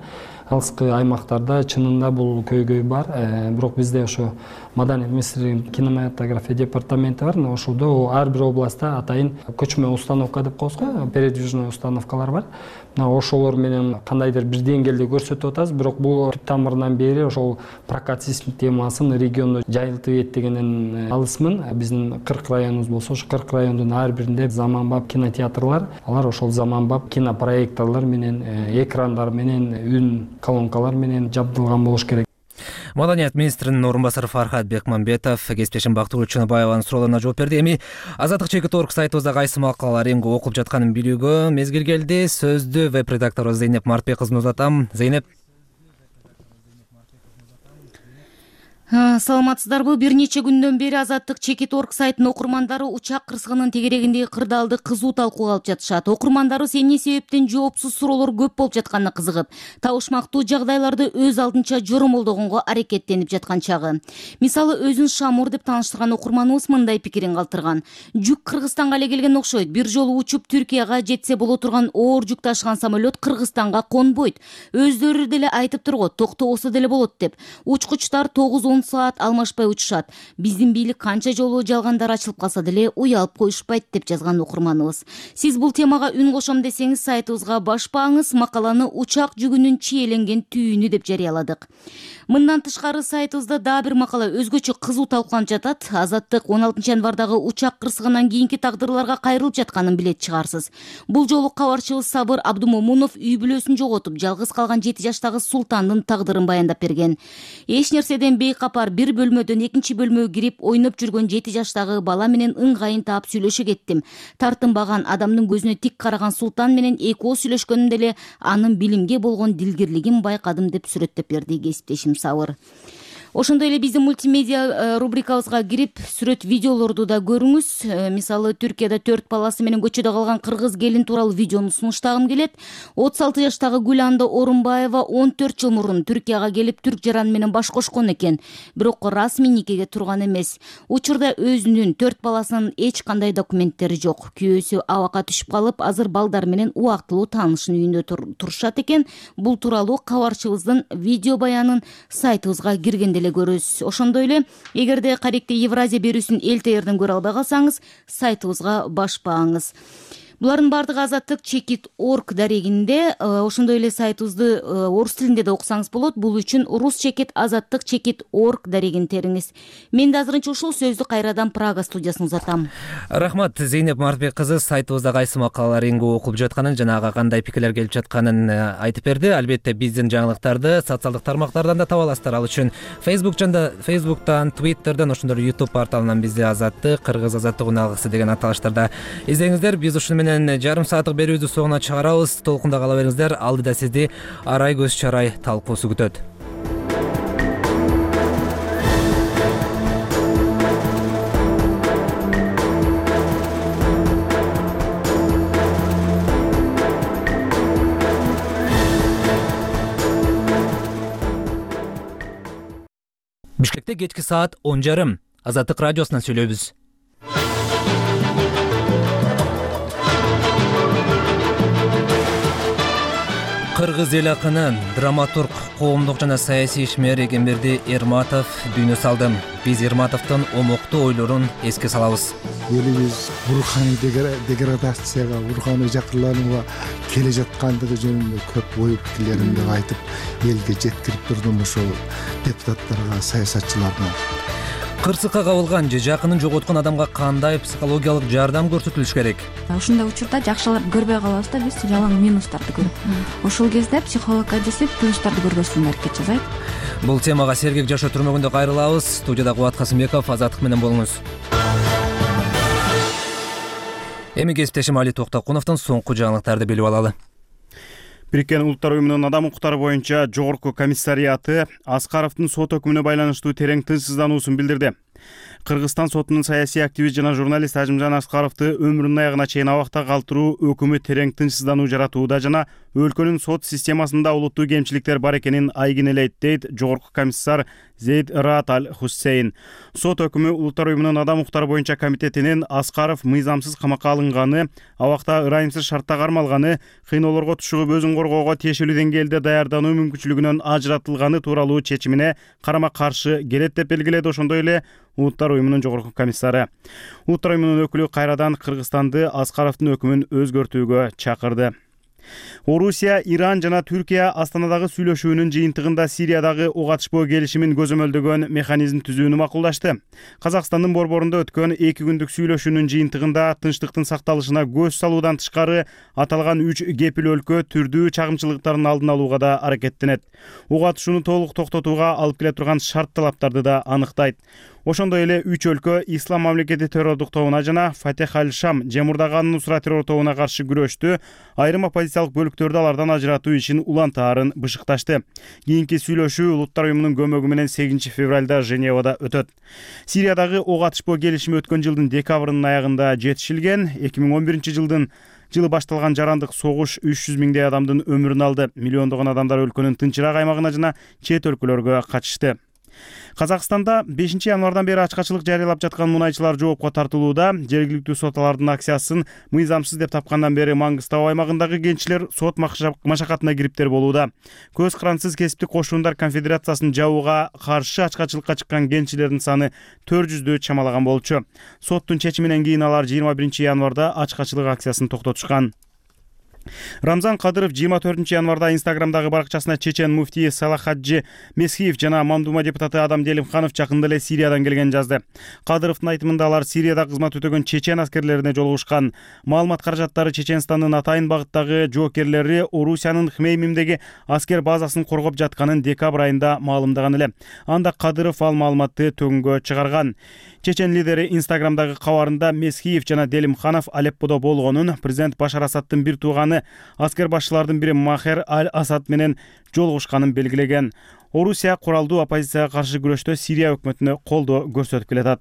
Алыскы аймактарда чынында бул көйгөй бар. Бирок бизде ошо Маданият министрлигинин кинематография департаменти бар. Ошолдо ар бир областта атайын көчмө установка деп коебуз го, передвижной установкалар бар. Ошолор менен кандайдыр бир деңгээлде көрсөтүп атабыз. Бирок бул түп тамырынан бери ошол прокат системасын региондо жайылтып эттегенен алысмын. Биздин кырк районубуз болсо, ошо кырк райондун ар биринде заманбап кинотеатрлар, алар ошол заманбап кинопроекторлор менен, экрандар менен, үн колонкалар менен жабдылган болуш керек. Маданият министринин орун басары Фархат Бекмамбетов кесиптешим Бактыгүл Чыныбаеванын суроолоруна жооп берди. Эми Азаттык чекит орг сайтыбызда кайсы макалалар эмге окулуп жатканын билүүгө мезгил келди. Сөздү веб-редактору Зейнеп Мартбек кызына узатам. Зейнеп. Саламатсыздарбы? Бир нече күндөн бери Азаттык чекит орг сайтынын окурмандары учак кырсыгынын тегерегиндеги кырдаалды кызуу талкууга алып жатышат. Окурмандарыбыз эмне себептен жоопсуз суроолор көп болуп жатканына кызыгып, табышмактуу жагдайларды өз алдынча жоромолдогонго аракеттенип жаткан чагы. Мисалы, өзүн Шамур деп тааныштырган окурманыбыз мындай пикирин калтырган. Жүк Кыргызстанга эле келген окшойт. Бир жолу учуп Түркияга жетсе боло турган оор жүк ташыган самолет Кыргызстанга конбойт. Өздөрү деле айтып тургот, токтобосо деле болот деп. Учкучтар тогуз он саат алмашпай учушат. Биздин бийлик канча жолу жалгандар ачылып калса деле уялып коюшпайт деп жазган окурманыбыз. Сиз бул темага үн кошом десеңиз, сайтыбызга башпаңыз, макаланы учак жүгүнүн чийеленген түйүнү деп жарыяладык. Мындан тышкары сайтыбызда дагы бир макала өзгөчө кызуу талкууланып жатат. Азаттык он алтынчы январдагы учак кырсыгынан кийинки тагдырларга кайрылып жатканын билет чыгарсыз. Бул жолу кабарчыбыз Сабыр Абдумомунов үй бүлөсүн жоготуп, жалгыз калган жети жаштагы Султандын тагдырын баяндап берген. Эч нерседен бейкапар бир бөлмөдөн экинчи бөлмөгө кирип ойноп жүргөн жети жаштагы бала менен ыңгайын таап сүйлөшө кеттим. Тартынбаган, адамдын көзүнө тик караган Султан менен экөө сүйлөшкөнүмдө эле анын билимге болгон дилгирлигин байкадым деп сүрөттөп берди кесиптешим Сабыр. ошондой эле биздин мультимедиа рубрикабызга кирип сүрөт видеолорду да көрүңүз. Мисалы Түркияда төрт баласы менен көчөдө калган кыргыз келин тууралуу видеону сунуштагым келет. отуз алты жаштагы Гүланда Орунбаева он төрт жыл мурун Түркияга келип түрк жараны менен баш кошкон экен, бирок расмий никеге турган эмес. Учурда өзүнүн төрт баласынын эч кандай документтери жок. Күйөөсү абакка түшүп калып, азыр балдар менен убактылуу таанышын үйүндө турушат экен. Бул тууралуу кабарчыбыздын видео баянын сайтыбызга киргенде эле көрөсүз. Ошондой эле эгерде Каректи Евразия берүүсүн элтээрден көрө албай калсаңыз, сайтыбызга башпаңыз. Булардын баардыгы Азаттык чекит точка орг дарегинде. Ошондой эле сайтыбызды орус тилинде да окусаңыз болот. Бул үчүн рус чекит азаттык чекит точка орг дарегин териңиз. Мен да азырынча ушул сөздү кайрадан Прага студиясына узатам. Рахмат, Зейнеп Мартбек кызы сайтыбызда кайсы макалалар эң көп окулуп жатканын жана ага кандай пикирлер келип жатканын айтып берди. Албетте биздин жаңылыктарды социалдык тармактардан да таба аласыздар. Ал үчүн Facebook жанда Facebook'тан, Twitter'дан, ошондой эле YouTube порталынан бизди Азаттык, Кыргыз Азаттык уналгысы деген аталыштарда издеңиздер. Биз ушуну менен жарым сааттык берүүбүздү соңуна чыгарабыз. Толкунда кала бериңиздер. Алдыда сизди Арай көз чарай талкуусу күтөт. Бишкекте кечки саат он жарым. Азаттык радиосунан сүйлөйбүз. Кыргыз эл акынын драматург, коомдук жана саясий ишмер Эгемберди Эрматов дүйнө салды. Биз Эрматовдун омоктуу ойлорун эске салабыз. Элибиз руханий деградацияга, руханий жакырланууга келе жаткандыгы жөнүндө көп ой пикирлеримди айтып, элге жеткирип турдум ошол депутаттарга, саясатчыларга. Кырсыкка кабылган же жакынын жоготкон адамга кандай психологиялык жардам көрсөтүлүш керек? Ушундай учурда жакшыларды көрбөй калабыз да, биз жалаң минустарды көрүп. Ошол кезде психологко десип, плюстарды көрбөсүн аракет жасайт. Бул темага сергек жашоо түрмөгүндө кайрылабыз. Студияда Кубат Касымбеков, Азаттык менен болуңуз. Эми кесиптешим Али Токтокуновдун соңку жаңылыктарды билип алалы. Бириккен Улуттар уюмунун адам укуктары боюнча жогорку комиссариаты Аскаровдун сот өкүмүнө байланыштуу терең тынчсыздануусун билдирди. Кыргызстан сотунун саясий активист жана журналист Ажимжан Аскаровду өмүрүнүн аягына чейин абакта калтыруу өкүмү терең тынчсыздануу жаратууда жана өлкөнүн сот системасында олуттуу кемчиликтер бар экенин айгинелейт, дейт жогорку комиссар Зейд Раат Аль Хуссейн. Сот өкүмү Улуттар уюмунун адам укуктары боюнча комитетинин Аскаров мыйзамсыз камакка алынганы, абакта ырайымсыз шартта кармалганы, кыйноолорго тушугуп өзүн коргоого тиешелүү деңгээлде даярдануу мүмкүнчүлүгүнөн ажыратылганы тууралуу чечимине карама каршы келет деп белгиледи. Ошондой эле Улуттар уюмунун жогорку комиссары. Улуттар уюмунун өкүлү кайрадан Кыргызстанды Аскаровдун өкүмүн өзгөртүүгө чакырды. Орусия, Иран жана Түркия Астанадагы сүйлөшүүнүн жыйынтыгында Сириядагы ок атышпоо келишимин көзөмөлдөгөн механизм түзүүнү макулдашты. Казакстандын борборунда өткөн эки күндүк сүйлөшүүнүн жыйынтыгында тынчтыктын сакталышына көз салуудан тышкары аталган үч кепил өлкө түрдүү чагымчылыктардын алдын алууга да аракеттенет. Ок атышууну толук токтотууга алып келе турган шарт талаптарды да аныктайт. Ошондой эле үч өлкө Ислам мамлекети террордук тобуна жана Фатех аль-Шам жемурдагы Нусра террор тобуна каршы күрөштү, айрым оппозициялык бөлүктөрдү алардан ажыратуу ишин улантаарын бышыкташты. Кийинки сүйлөшүү Улуттар уюмунун көмөгү менен сегизинчи февралда Женевада өтөт. Сириядагы ок атышпоо келишими өткөн жылдын декабрынын аягында жетишилген. эки миң он биринчи жылдын жылы башталган жарандык согуш үч жүз миңдей адамдын өмүрүн алды. Миллиондогон адамдар өлкөнүн тынчыраак аймагына жана чет өлкөлөргө качышты. Казакстанда бешинчи январдан бери ачкачылык жарыялап жаткан мунайчылар жоопко тартылууда. Жергиликтүү сот алардын акциясын мыйзамсыз деп тапкандан бери Маңгыстау аймагындагы кенчилер сот машакатына кириптер болууда. Көз кырансыз кесиптик кошундар конфедерациясын жабууга каршы ачкачылыкка чыккан кенчилердин саны төрт жүздү чамалаган болчу. Соттун чечиминен кийин алар жыйырма биринчи январда ачкачылык акциясын токтотушкан. Рамзан Кадыров жыйырма төртүнчү январда Инстаграмдагы баракчасына чечен муфтий Салахаджи Месхиев жана Мамдума депутаты Адам Делимханов жакында эле Сириядан келген жазды. Кадыровдун айтымында алар Сирияда кызмат өтөгөн чечен аскерлерине жолугушкан. Маалымат каражаттары Чеченстандын атайын багыттагы жоокерлери Орусиянын Хмеймимдеги аскер базасын коргоп жатканын декабрь айында маалымдаган эле. Анда Кадыров ал маалыматты төгүнгө чыгарган. Чечен лидери Инстаграмдагы кабарында Месхиев жана Делимханов Алепподо болгонун, президент Башар Асадтын бир тууганы аскер башчылардын бири Махер Аль-Асад менен жолугушканын белгилеген. Орусия куралдуу оппозицияга каршы күрөштө Сирия өкмөтүнө колдоо көрсөтүп келатат.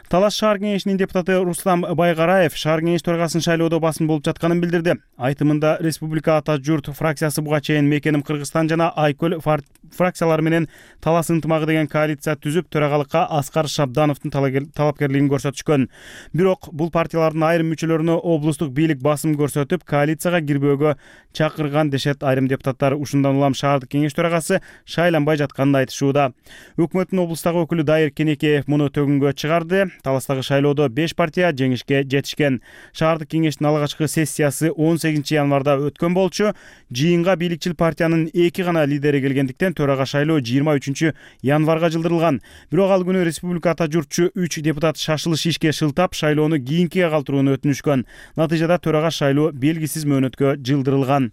Талаш шаар кеңешинин депутаты Рустам Байгараев шаар кеңеш төрагасын шайлоодо басым болуп жатканын билдирди. Айтымында Республика Ата журт фракциясы буга чейин Мекеним Кыргызстан жана Айкөл фракциялары менен талас ынтымагы деген коалиция түзүп, төрагалыкка Аскар Шабдановдун талапкерлигин көрсөтүшкөн. Бирок бул партиялардын айрым мүчөлөрүнө облустук бийлик басым көрсөтүп, коалицияга кирбөөгө чакырган дешет айрым депутаттар. Ушундан улам шаардык кеңеш төрагасы шайланбай жатканын айтышууда. Өкмөттүн облустагы өкүлү Дайыр Кенекеев муну төгүнгө чыгарды. Таластагы шайлоодо беш партия жеңишке жетишкен. Шаардык кеңештин алгачкы сессиясы он сегизинчи январда өткөн болчу. Жыйынга бийликчил партиянын эки гана лидери келгендиктен төрага шайлоо жыйырма үчүнчү январга жылдырылган. Бирок ал күнү Республика Ата журтчу үч депутат шашылыш ишке шылтап, шайлоону кийинкиге калтырууну өтүнүшкөн. Натыйжада төрага шайлоо белгисиз мөөнөткө жылдырылган.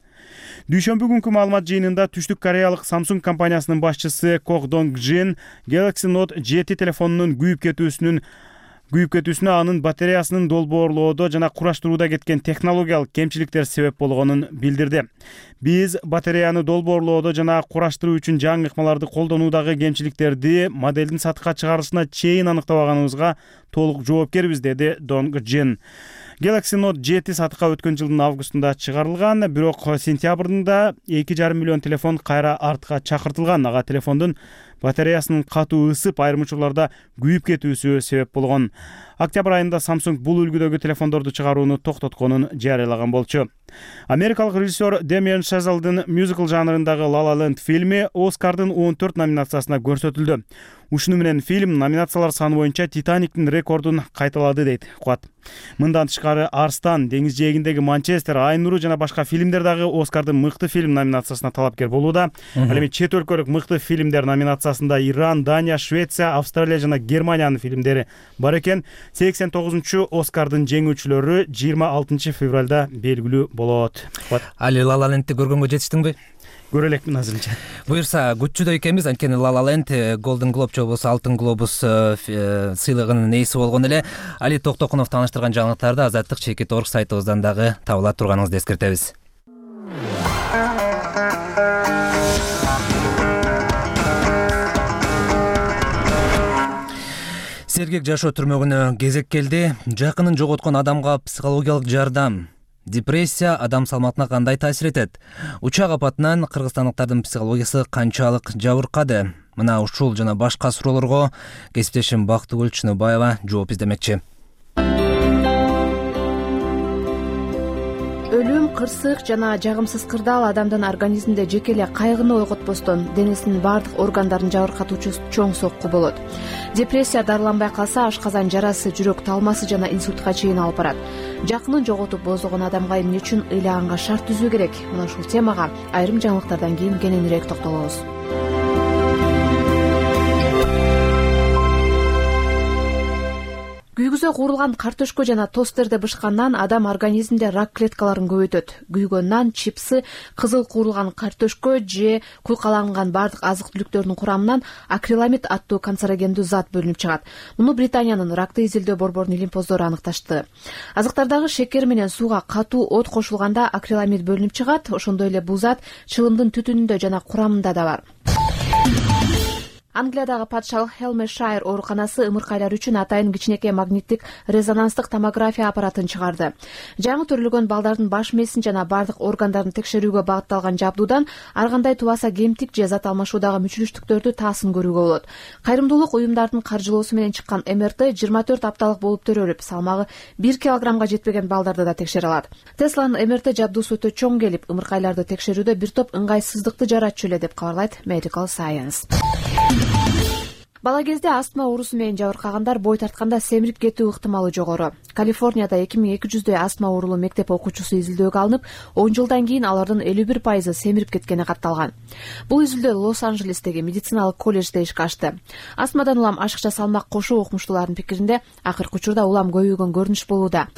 Дүйшөмбү күнкү маалымат жыйынында Түштүк Кореялык Samsung компаниясынын башчысы Кох Донг Джин Galaxy Note жети телефонунун күйүп кетүүсүнүн күйүп кетүүсүнө анын батареясынын долбоорлоодо жана кураштырууда кеткен технологиялык кемчиликтер себеп болгонун билдирди. Биз батареяны долбоорлоодо жана кураштыруу үчүн жаңы ыкмаларды колдонуудагы кемчиликтерди моделдин сатыкка чыгарылышына чейин аныктабаганыбызга толук жоопкербиз, деди Донг Джин. Galaxy Note жети сатыкка өткөн жылдын августунда чыгарылган, бирок сентябрында эки жарым миллион телефон кайра артка чакыртылган. Ага телефондун батареясынын катуу ысып, айрым учурларда күйүп кетүүсү себеп болгон. Октябрь айында Samsung бул үлгүдөгү телефондорду чыгарууну токтотконун жарыялаган болчу. Америкалык режиссер Демиан Шазалдын мюзикл жанрындагы La La Land фильми Оскардын он төрт номинациясына көрсөтүлдү. Ушуну менен фильм номинациялар саны боюнча Титаниктин рекордун кайталады, дейт Куат. Мындан тышкары Арстан, Деңиз жээгиндеги Манчестер, Ай нуру жана башка фильмдер дагы Оскардын мыкты фильм номинациясына талапкер болууда. Ал эми чет өлкөлүк мыкты фильмдер номинациясында Иран, Дания, Швеция, Австралия жана Германиянын фильмдери бар экен. сексен тогузунчу Оскардын жеңүүчүлөрү жыйырма алтынчы февралда белгилүү болот. Али La La Land'ти көргөнгө жетиштиңби? Көрө элекмин азырынча. Буюрса күччүдөй экенбиз, анткени La La Land Golden Globe же болбосо Алтын глобус сыйлыгынын ээси болгон эле. Али Токтокунов тааныштырган жаңылыктарды Азаттык чекит орг сайтыбыздан дагы таба ала турганыңызды эскертебиз. Сергек жашоо түрмөгүнө кезек келди. Жакынын жоготкон адамга психологиялык жардам. Депрессия адам салматына кандай таасир этет? Учак апатынан кыргызстандыктардын психологиясы канчалык жабыркады? Мына ушул жана башка суроолорго кесиптешим Бактыгүл Чыныбаева жооп издемекчи. Өлүм, кырсык жана жагымсыз кырдаал адамдын организминде жеке эле кайгыны ойготпостон денесинин баардык органдарын жабыркатуучу чоң сокку болот. Депрессия дарыланбай калса ашказан жарасы, жүрөк талмасы жана инсультка чейин алып барат. Жакынын жоготуп боздогон адамга эмне үчүн ыйлаганга шарт түзүү керек? Мына ушул темага айрым жаңылыктардан кийин кененирээк токтолобуз. Күйгүзө куурулган картөшкө жана тосттерди бышкандан адам организминде рак клеткаларын көбөйтөт. Күйгөн нан, чипсы, кызыл куурулган картөшкө же куйкаланган бардык азык-түлүктөрдүн курамынан акриламид аттуу канцерогендүү зат бөлүнүп чыгат. Муну Британиянын ракты изилдөө борборунун илимпоздору аныкташты. Азыктардагы шекер менен сууга катуу от кошулганда акриламид бөлүнүп чыгат. Ошондой эле бул зат чылымдын түтүнүндө жана курамында да бар. Англиядагы патшалык Хелмешайр ооруканасы ымыркайлар үчүн атайын кичинекей магниттик резонанстык томография аппаратын чыгарды. Жаңы төрөлгөн балдардын баш мээсин жана бардык органдарын текшерүүгө багытталган жабдуудан ар кандай тубаса кемтик же зат алмашуудагы мүчүлүштүктөрдү таасын көрүүгө болот. Кайрымдуулук уюмдардын каржылоосу менен чыккан эм эр тэ жыйырма төрт апталык болуп төрөлүп, салмагы бир килограммга жетпеген балдарды да текшере алат. Тесланын эм эр тэ жабдуусу өтө чоң келип, ымыркайларды текшерүүдө бир топ ыңгайсыздыкты жаратчу эле деп кабарлайт Medical Science. Бала кезде астма оорусу менен жабыркагандар бой тартканда семирип кетүү ыктымалы жогору. Калифорнияда эки миң эки жүздөй астма оорулуу мектеп окуучусу изилдөөгө алынып, он жылдан кийин алардын элүү бир пайызы семирип кеткени катталган. Бул изилдөө Лос-Анджелестеги медициналык колледжде ишке ашты. Астмадан улам ашыкча салмак кошуу окумуштуулардын пикиринде акыркы учурда улам көбөйгөн көрүнүш болууда.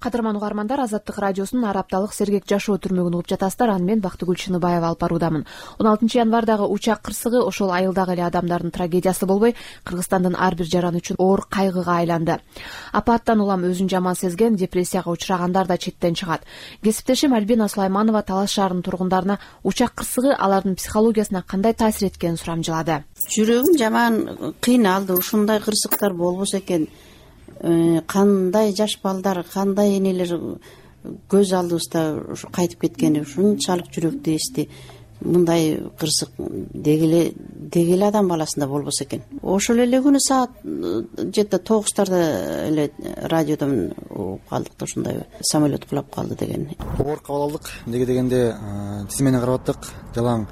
Кадырман угармандар, Азаттык радиосунун ар апталык сергек жашоо түрмөгүн угуп жатасыздар. Аны мен Бактыгүл Чыныбаева алып баруудамын. он алтынчы январдагы учак кырсыгы ошол айылдагы эле адамдардын трагедиясы болбой, Кыргызстандын ар бир жараны үчүн оор кайгыга айланды. Апаттан улам өзүн жаман сезген, депрессияга учрагандар да четтен чыгат. Кесиптешим Альбина Сулайманова Талас шаарынын тургундарына учак кырсыгы алардын психологиясына кандай таасир эткенин сурамжылады. Жүрөгүм жаман кыйналды. Ушундай кырсыктар болбосо экен. Кандай жаш балдар, кандай энелер көз алдыбызда кайтып кеткени ушунчалык жүрөктү эсти. Мындай кырсык деги эле деги эле адам баласында болбосо экен. Ошол эле күнү саат жети тогуздарда эле радиодон угуп калдык да ушундай самолет кулап калды деген. Оор кабыл алдык. Неге дегенде тиз менен карап аттык. Жалаң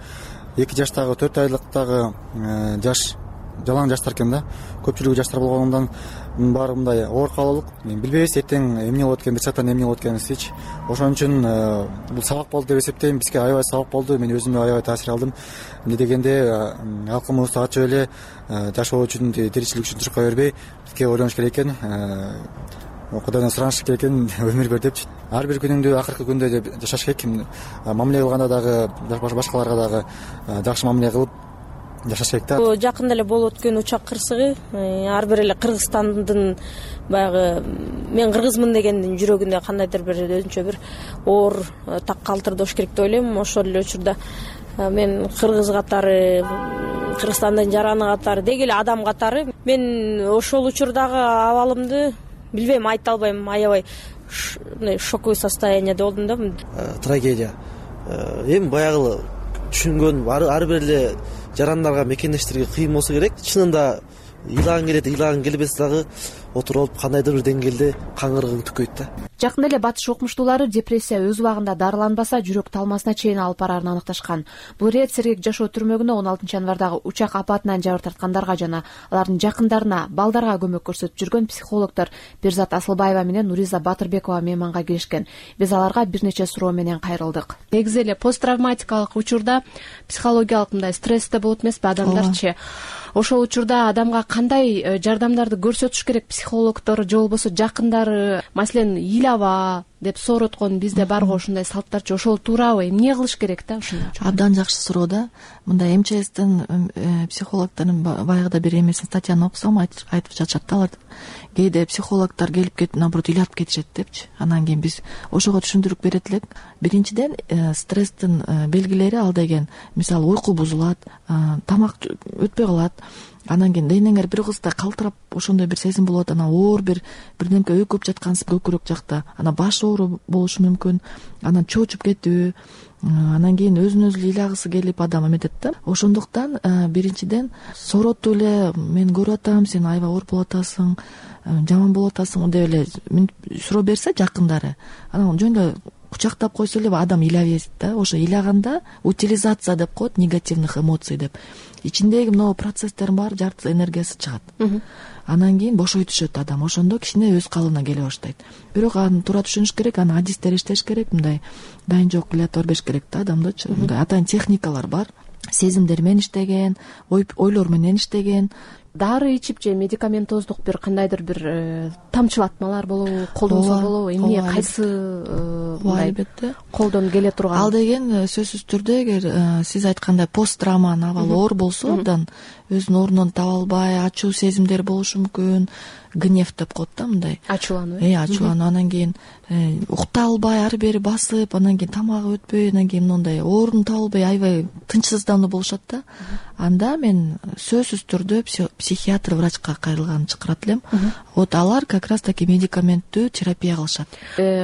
эки жаштагы, төрт айлыктагы жаш жалаң жаштар экен да. Көпчүлүгү жаштар болгондон баары мындай оор кабыл алдык. Билбейбиз эртең эмне болот экен, бир сааттан эмне болот экенин. Ошон үчүн бул сабак болду деп эсептейм. Бизге аябай сабак болду. Мен өзүмө аябай таасир алдым. Эмне дегенде алкымыбызды ачып эле жашоо үчүн, тиричилик үчүн чуркай бербей, бизге ойлонуш керек экен. Кудайдан сураныш керек экен, өмүр бер депчи. Ар бир күнүңдү акыркы күндө деп жашаш керек. Мамиле кылганда дагы, башкаларга дагы жакшы мамиле кылып жашаш керек да. Бул жакында эле болуп өткөн учак кырсыгы ар бир эле Кыргызстандын баягы мен кыргызмын дегендин жүрөгүндө кандайдыр бир өзүнчө бир оор так калтырдош керек деп ойлойм. Ошол эле учурда мен кыргыз катары, Кыргызстандын жараны катары, деги эле адам катары мен ошол учурдагы абалымды билбейм, айта албайм. Аябай шоковый состоянияда болдум да. Трагедия. Эми баягы түшүнгөн ар бир эле жарандарга, мекендештерге кыйын болсо керек. Чынында ыйлагың келет, ыйлагың келбесе дагы отуруп алып кандайдыр бир деңгээлде каңгыргың түкөйт да. Жакында эле батыш окумуштуулары депрессия өз убагында дарыланбаса жүрөк талмасына чейин алып барарын аныкташкан. Бул ирет сергек жашоо түрмөгүнө он алтынчы январдагы учак апатынан жабыр тарткандарга жана алардын жакындарына, балдарга көмөк көрсөтүп жүргөн психологдор Берзат Асылбаева менен Нуриза Батырбекова мейманга келишкен. Биз аларга бир нече суроо менен кайрылдык. Негизи эле посттравматикалык учурда психологиялык мындай стрессте болот эмеспи адамдарчы? Ошол учурда адамга кандай жардамдарды көрсөтүш керек психологдор же болбосо жакындары? Маселен, ыйлаба деп сороткон бизде барго ушундай салттарчы, ошол туурабы? Эмне кылыш керек да ушундай? Абдан жакшы суроо да. Мындай эм че эстин психологдордун баягыда бир эмесин статьяны окусам айтып жатышат да, алар кээде психологдор келип кетип, наоборот, ыйлап кетишет депчи. Анан кийин биз ошого түшүндүрүп берет элек. Биринчиден, стресстин белгилери ал деген, мисалы, уйку бузулат, тамак өтпөй калат. Анан кийин денеңер бир кызда калтырап ошондой бир сезим болот. Анан оор бир бирдемке өкүп жаткансыз көкүрөк жакта. Анан баш оору болушу мүмкүн. Анан чоочуп кетүү. Анан кийин өзүн өзү ыйлагысы келип адам эметет да. Ошондуктан биринчиден соротуп эле мен көрүп атам, сен аябай оор болуп атасың, жаман болуп атасың деп эле суроо берсе жакындары, анан жөн эле кучактап койсо эле адам ыйлабайт да. Ошо ыйлаганда утилизация деп коет, негативных эмоций деп. Ичиндеги мына процесстердин баары жарты энергиясы чыгат. Анан кийин бошой түшөт адам. Ошондо кичине өз калыбына келе баштайт. Бирок аны туура түшүнүш керек, аны адистер иштеш керек, мындай дайын жок иллата бербеш керек да адамдычы. Мындай атайын техникалар бар. Сезимдер менен иштеген, ойлор менен иштеген. Дары ичип же медикаментоздук бир кандайдыр бир тамчылатмалар болобу, колдонсо болобу? Эмне, кайсы мындай колдон келе турган? Ал деген сөзсүз түрдө, эгер сиз айткандай посттравманын абалы оор болсо, абдан өзүнүн ордунун таба албай, ачуу сезимдер болушу мүмкүн. Гнев деп коет да, мындай. Ачуулануу. Э, ачуулануу. Анан кийин укта албай, ары бери басып, анан кийин тамагы өтпөй, анан кийин мындай орун таба албай, аябай тынчсыздануу болушат да. Анда мен сөзсүз түрдө психиатр, врачка кайрылганын чакырат элем. Вот алар как раз таки медикаменттүү терапия кылышат.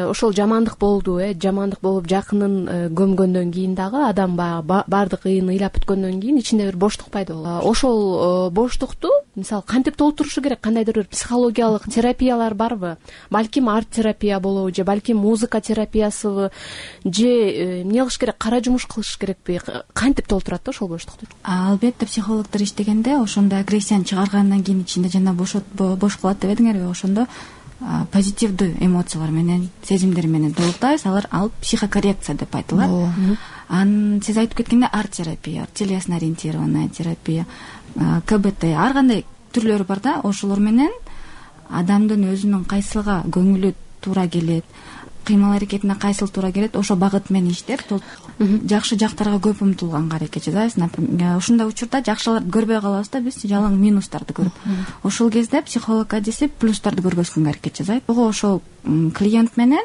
Ошол жамандык болду, э, жамандык болуп жакынын көмгөндөн кийин дагы адам баардык ыйын ыйлап бүткөндөн кийин ичинде бир боштук пайда болот. Ошол боштукту мисалы кантип толтурушу керек? Кандайдыр бир психологиялык терапиялар барбы? Балким арт терапия болобу, же балким музыка терапиясыбы, же эмне кылыш керек? Кара жумуш кылыш керекпи? Кантип толтурат да ошол боштукту? Албетте психологдор иштегенде ошондой агрессияны чыгаргандан кийин ичинде жана бош калат деп эдиңерби, ошондо позитивдүү эмоциялар менен, сезимдер менен толуктайбыз. Алар ал психокоррекция деп айтылат. Анан сиз айтып кеткенде арт терапия, телесно ориентированная терапия, ка бэ тэ, ар кандай түрлөрү бар да. Ошолор менен адамдын өзүнүн кайсыга көңүлү туура келет, кыймыл аракетине кайсыл туура келет, ошол багыт менен иштеп жакшы жактарга көп умтулганга аракет жасайбыз. Например, ушундай учурда жакшыларды көрбөй калабыз да, биз жалаң минустарды көрүп. Ошол кезде психолог адиси плюстарды көргөзгөнгө аракет жасайт. Ого ошол клиент менен,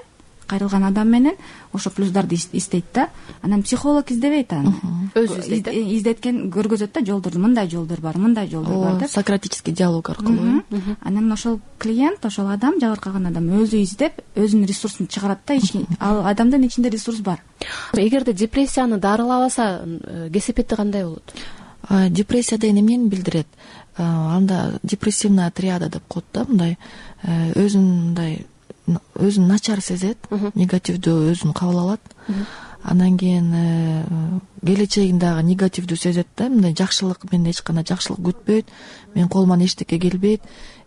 кайрылган адам менен ошо плюстарды издейт да. Анан психолог издебейт аны. Өзү издейт. Издеткен көргөзөт да, жолдорду, мындай жолдор бар, мындай жолдор бар деп. Сократический диалог аркылуу. Анан ошол клиент, ошол адам, жабыркаган адам өзү издеп, өзүнүн ресурсун чыгарат да, ал адамдын ичинде ресурс бар. Эгерде депрессияны дарылабаса, кесепети кандай болот? Депрессия деген эмнени билдирет? Анда депрессивная триада деп коет да, мындай өзүн мындай өзүн начар сезет, негативдүү өзүн кабыл алат. Анан кийин келечегин дагы негативдүү сезет да, мындай жакшылык, мен эч кандай жакшылык күтпөйт, мен колуман эчтеке келбейт,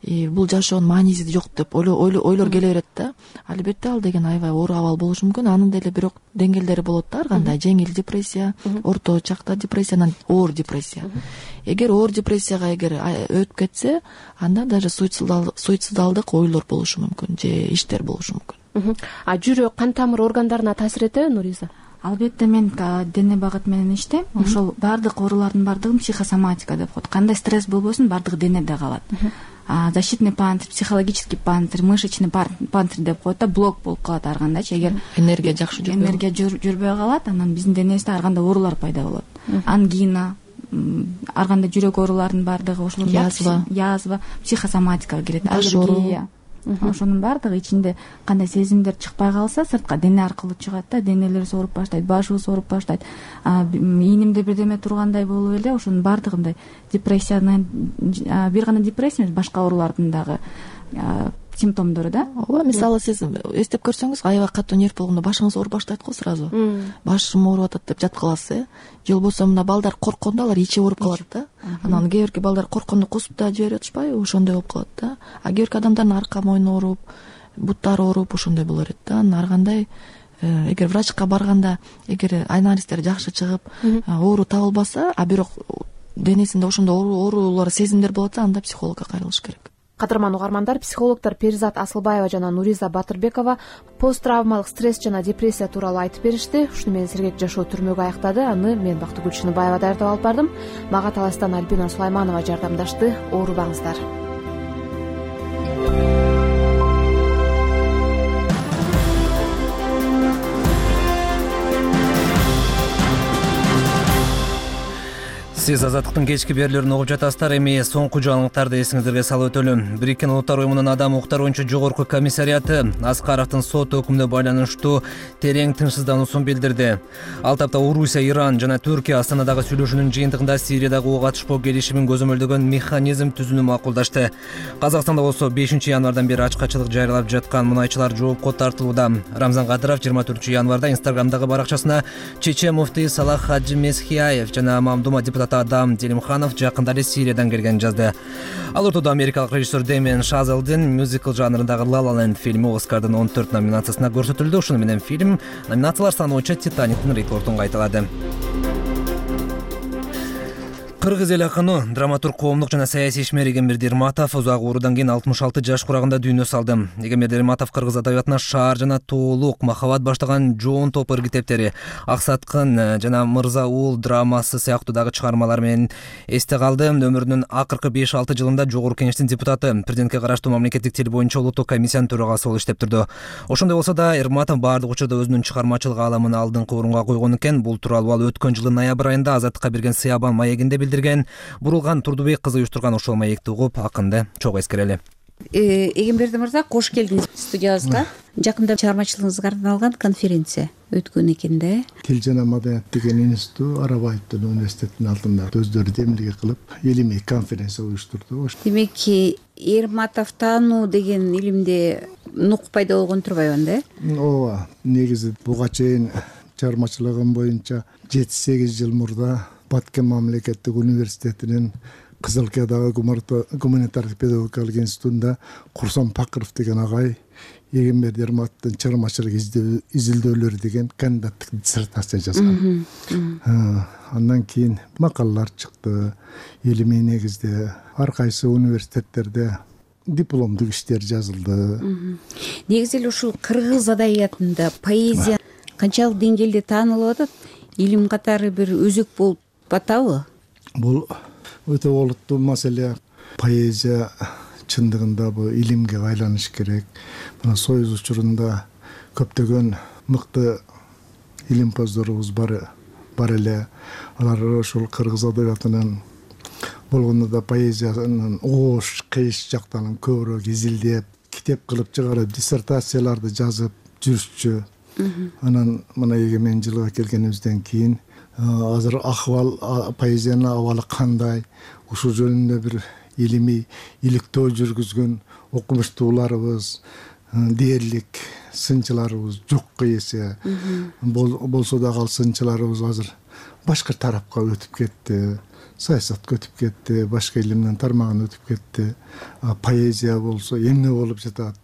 бул жашоонун мааниси жок деп ойлор келе берет да. Албетте ал деген аябай оор абал болушу мүмкүн. Анын деле бирок деңгээлдери болот да, ар кандай жеңил депрессия, орто чакта депрессия, анан оор депрессия. Эгер оор депрессияга эгер өтүп кетсе, анда даже суицидалдык ойлор болушу мүмкүн, же иштер болушу мүмкүн. А жүрөк, кан тамыр органдарына таасир этеби, Нуриза? Албетте, мен дене багыт менен иштейм. Ошол баардык оорулардын баардыгын психосоматика деп коет. Кандай стресс болбосун, баардыгы денеде калат. Защитный панцирь, психологический панцирь, мышечный панцирь деп коет да, блок болуп калат ар кандайчы. Эгер энергия жакшы жүрбөй энергия жүрбөй калат, анан биздин денебизде ар кандай оорулар пайда болот. Ангина, ар кандай жүрөк ооруларынын баардыгы, ошолор язва, язва, психосоматикага кирет, аллергия. Ошонун баардыгы ичинде кандай сезимдер чыкпай калса, сыртка дене аркылуу чыгат да, денелер ооруп баштайт, башыбыз ооруп баштайт, ийнимде бирдеме тургандай болуп эле, ошонун баардыгы мындай депрессиянын, бир гана депрессия эмес, башка оорулардын дагы симптомдору да. Ооба, мисалы сиз эстеп көрсөңүз, аябай катуу нерв болгондо башыңыз ооруп баштайт го сразу. Башым ооруп атат деп жатып каласыз, э? Же болбосо мына балдар корккондо алар ичи ооруп калат да. Анан кээ бирки балдар корккондо кусуп да жиберип атышпайбы? Ошондой болуп калат да. А кээ бирки адамдардын арка мойну ооруп, буттары ооруп, ошондой боло берет да. Анан ар кандай эгер врачка барганда, эгер анализдер жакшы чыгып, оору табылбаса, а бирок денесинде ошондой оорулар, сезимдер болот, анда психологко кайрылыш керек. Кадырман угармандар, психологдор Перизат Асылбаева жана Нуриза Батырбекова посттравмалык стресс жана депрессия тууралуу айтып беришти. Ушуну менен сергек жашоо түрмөгө аяктады. Аны мен Бактыгүл Чыныбаева даярдап алып бардым. Мага таластан Альбина Сулайманова жардамдашты. Оорубаңыздар. Сиз Азаттыктын кечки берүүлөрүн угуп жатасыздар. Эми соңку жаңылыктарды эсиңиздерге салып өтөлүм. Бириккен Улуттар Уюмунун Адам укуктары боюнча жогорку комиссариаты Аскаровдун сот өкүмүнө байланыштуу терең тынчсыздануусун билдирди. Ал тапта Орусия, Иран жана Түркия Астанадагы сүйлөшүүнүн жыйынтыгында Сириядагы ок атышпоо келишимин көзөмөлдөгөн механизм түзүүнү макулдашты. Казакстанда болсо бешинчи январдан бери ачкачылык жарыялап жаткан мунайчылар жоопко тартылууда. Рамзан Кадыров жыйырма төртүнчү январда Инстаграмдагы баракчасына Чечен муфтий Салах Хаджи Месхияев жана Мамдума депутат Адам Делимханов жакында эле Сириядан келгенин жазды. Ал ортодо америкалык режиссер Дэмиен Шазелдин мюзикл жанрындагы La La Land фильми Оскардын он төрт номинациясына көрсөтүлдү. Ушуну менен фильм номинациялар саны боюнча Титаниктин рекордун кайталады. Кыргыз эл акыны, драматург, коомдук жана саясий ишмер Эгембер Дерматов узак оорудан кийин алтымыш алты жаш курагында дүйнө салды. Эгембер Дерматов кыргыз адабиятына Шаар жана Тоолук, Махабат баштаган жоон топ ыргитептери, Аксаткын жана Мырза Уул драмасы сыяктуу дагы чыгармалар менен эсте калды. Өмүрүнүн акыркы беш алты жылында Жогорку Кеңештин депутаты, президентке караштуу мамлекеттик тил боюнча улуттук комиссиянын төрагасы болуп иштеп турду. Ошондой болсо да Эрматов баардык учурда өзүнүн чыгармачылык аламын алдыңкы орунга койгон экен. Бул тууралуу ал өткөн жылдын ноябрь айында Азаттыкка берген Сыябан маегинде билдирген. Бурулган Турдубек кызы уюштурган ошол маекти угуп, акынды чогуу эскерели. Эгемберди мырза, кош келдиңиз студиябызга. Жакында чыгармачылыгыңызга арналган конференция өткөн экен да. Тил жана маданият деген институт Арабаевдин университетинин алдында өздөрү демилге кылып, илимий конференция уюштурду. Демек, Эрматов таануу деген илимде нук пайда болгон турбайбы да? Ооба, негизи буга чейин чыгармачылыгым боюнча жети сегиз жыл мурда Баткен мамлекеттик университетинин Кызылкиядагы гуманитардык педагогикалык институтунда Курсан Пакыров деген агай Эгембер Дерматовдун чыгармачылык изилдөөлөрү деген кандидаттык диссертация жазган. Андан кийин макалалар чыкты. Илимий негизде ар кайсы университеттерде дипломдук иштер жазылды. Негизи эле ушул кыргыз адабиятында поэзия канчалык деңгээлде таанылып атат, илим катары бир өзөк болуп атабы? Бул өтө олуттуу маселе. Поэзия чындыгында бул илимге айланыш керек. Мына союз учурунда көптөгөн мыкты илимпоздорубуз бар бар эле. Алар ушул кыргыз адабиятынын болгондо да поэзиянын оош, кыйыш жактарын көбүрөөк изилдеп, китеп кылып чыгарып, диссертацияларды жазып жүрүшчү. Анан мына эгемен жылга келгенибизден кийин азыр акыбал, поэзиянын абалы кандай, ушул жөнүндө бир илимий иликтөө жүргүзгөн окумуштууларыбыз, дээрлик сынчыларыбыз жокко эсе. Болсо дагы ал сынчыларыбыз азыр башка тарапка өтүп кетти, саясатка өтүп кетти, башка илимдин тармагына өтүп кетти. Поэзия болсо эмне болуп жатат?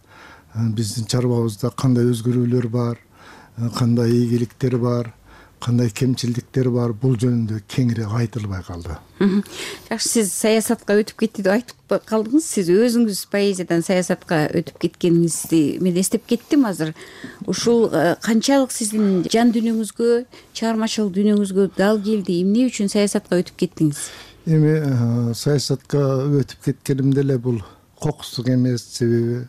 Биздин чарбабызда кандай өзгөрүүлөр бар, кандай ийгиликтер бар, кандай кемчилдиктер бар, бул жөнүндө кеңири айтылбай калды. Жакшы, сиз саясатка өтүп кетти деп айтып калдыңыз. Сиз өзүңүз поэзиядан саясатка өтүп кеткениңизди мен эстеп кеттим азыр. Ушул канчалык сиздин жан дүйнөңүзгө, чыгармачылык дүйнөңүзгө дал келди? Эмне үчүн саясатка өтүп кеттиңиз? Эми саясатка өтүп кеткенимде эле бул кокустук эмес, себеби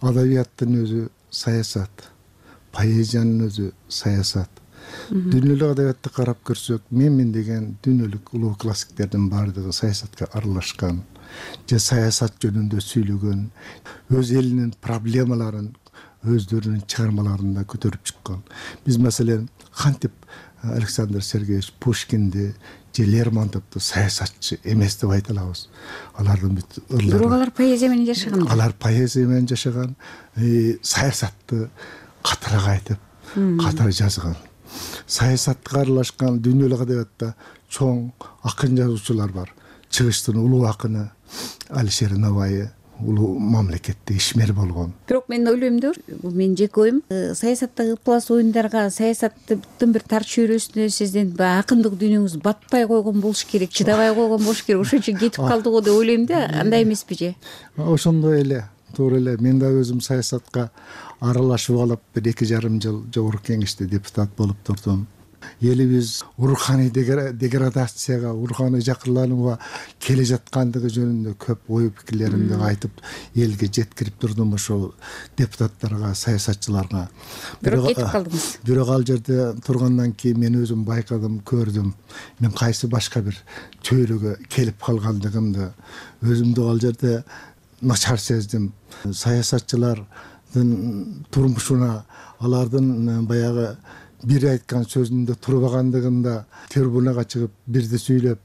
адабияттын өзү саясат, поэзиянын өзү саясат. Дүйнөлүк адабиятты карап көрсөк, менмин деген дүйнөлүк улуу классиктердин баардыгы саясатка аралашкан, же саясат жөнүндө сүйлөгөн, өз элинин проблемаларын өздөрүнүн чыгармаларында көтөрүп чыккан. Биз маселен кантип Александр Сергеевич Пушкинди же Лермонтовду саясатчы эмес деп айта алабыз? Алардын бүт ырлары. Бирок алар поэзия менен жашаган. Алар поэзия менен жашаган, саясатты катыраак айтып, катары жазган. Саясатка аралашкан дүйнөлүк адабиятта чоң акын жазуучулар бар. Чыгыштын улуу акыны Алишер Наваи улуу мамлекетте ишмер болгон. Бирок мен ойлойм да, бул менин жеке оюм, саясаттагы ыплас оюндарга, саясаттын бир тар чөйрөсүнө сиздин баягы акындык дүйнөңүз батпай койгон болуш керек, чыдабай койгон болуш керек. Ошон үчүн кетип калды го деп ойлойм да, андай эмеспи же? Ошондой эле, туура эле. Мен да өзүм саясатка аралашып алып, бир эки жарым жыл жогорку кеңеште депутат болуп турдум. Элибиз руханий деградацияга, руханий жакырланууга келе жаткандыгы жөнүндө көп ой пикирлеримди айтып, элге жеткирип турдум ошол депутаттарга, саясатчыларга. Бирок кетип калдыңыз. Бирок ал жерде тургандан кийин мен өзүм байкадым, көрдүм. Мен кайсы башка бир чөйрөгө келип калгандыгымды өзүмдү ал жерде начар сездим. Саясатчылардын турмушуна, алардын баягы бир айткан сөзүндө турбагандыгында трибунага чыгып бирди сүйлөп,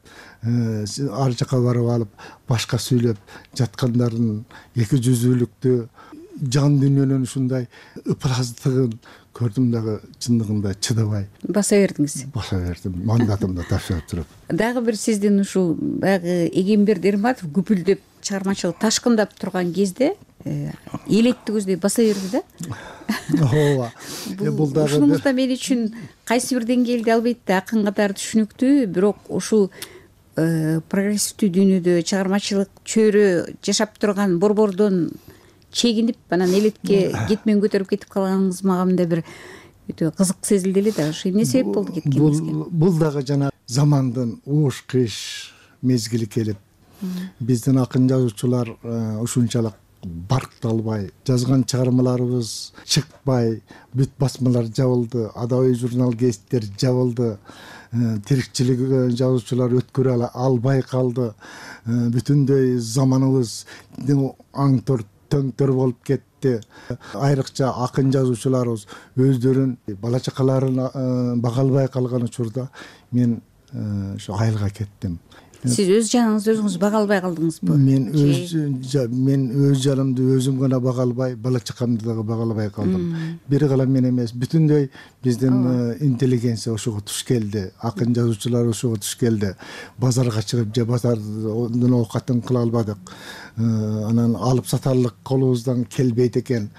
ар жака барып алып башка сүйлөп жаткандардын эки жүзүүлүктү, жан дүйнөнүн ушундай ыплаздыгын көрдүм дагы чындыгында чыдабай баса бердиңиз. Баса бердим, мандатымды тапшырып туруп. Дагы бир сиздин ушул баягы Эгемберди Эрматов күпүлдөп чыгармачылык ташкындап турган кезде элеттигиздей баса берди да. Ооба. Бул дагы ушунузда мен үчүн кайсы бир деңгээлде албетте акын катары түшүнүктүү, бирок ушул прогрессивдүү дүйнөдө чыгармачылык чөйрө жашап турган борбордон чегинип, анан элетке кетмен көтөрүп кетип калганыңыз мага мындай бир өтө кызык сезилди эле да. Ошо эмне себеп болду кеткениңизге? Бул дагы жана замандын ууш кыйыш мезгили келип, биздин акын жазуучулар ушунчалык баркталбай, жазган чыгармаларыбыз чыкпай, бүт басмалар жабылды, адабий журнал гезиттер жабылды, тирикчилик жазуучулар өткөрө албай калды, бүтүндөй заманыбыз аңтор төңтөр болуп кетти. Айрыкча акын жазуучуларыбыз өздөрүн, бала чакаларын бага албай калган учурда мен ошо айылга кеттим. Сиз өз жаныңызды өзүңүз бага албай калдыңызбы? Мен өз мен өз жанымды өзүм гана бага албай, бала чакамды дагы бага албай калдым. Бир гана мен эмес, бүтүндөй биздин интеллигенция ошого туш келди, акын жазуучулар ошого туш келди. Базарга чыгып, же базардын оокатын кыла албадык. Анан алып сатарлык колубуздан келбейт экен.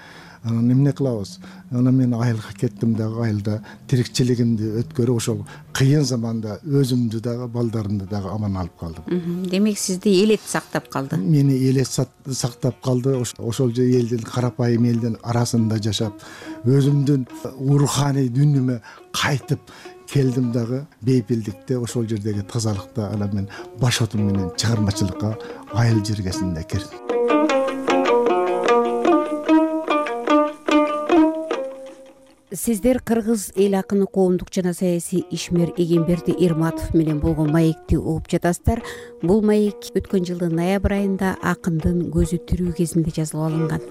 анан эмне кылабыз, анан мен айылга кеттим дагы, айылда тирикчилигимди өткөрүп ошол кыйын заманда өзүмдү дагы балдарымды дагы аман алып калдым. Демек сизди элет сактап калды. Мени элет сактап калды. Ошол же элдин, карапайым элдин арасында жашап, өзүмдүн руханий дүнүмө кайтып келдим дагы. Бейпилдикте, ошол жердеги тазалыкта анан мен баш отум менен чыгармачылыкка айыл жергесинде кирдим. Сиздер кыргыз эл акыны, коомдук жана саясий ишмер Эгемберди Эрматов менен болгон маекти угуп жатасыздар. Бул маек өткөн жылдын ноябрь айында акындын көзү тирүү кезинде жазылып алынган.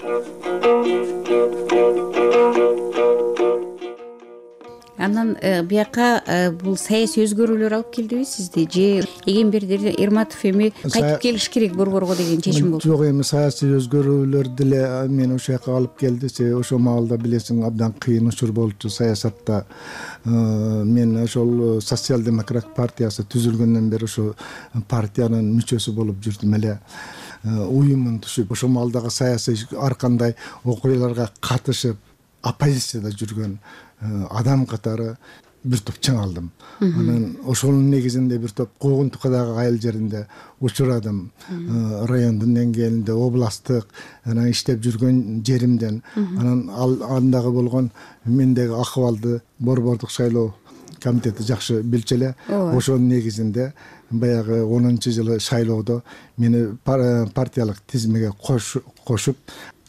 Анан бияка бул саясий өзгөрүүлөр алып келдиби сизди, же Эгемберди Эрматов эми кайтып келиш керек борборго деген чечим болду? Жок, эми саясий өзгөрүүлөр деле мени ошол жака алып келди. Ошол маалда билесиң, абдан кыйын учур болчу саясатта. Мен ошол социал-демократ партиясы түзүлгөндөн бери ошо партиянын мүчөсү болуп жүрдүм эле. Уюмун түшүп, ошол маалдагы саясий ар кандай окуяларга катышып, оппозицияда жүргөн адам катары бир топ чыңалдым. Анан ошонун негизинде бир топ Куугунтукадагы айыл жеринде учурадым. Райондун деңгээлинде, областтык анан иштеп жүргөн жеримден. Анан андагы болгон мендеги акыбалды борбордук шайлоо комитети жакшы билчү эле. Ошонун негизинде баягы онунчу жылы шайлоодо мени партиялык тизимге кошуп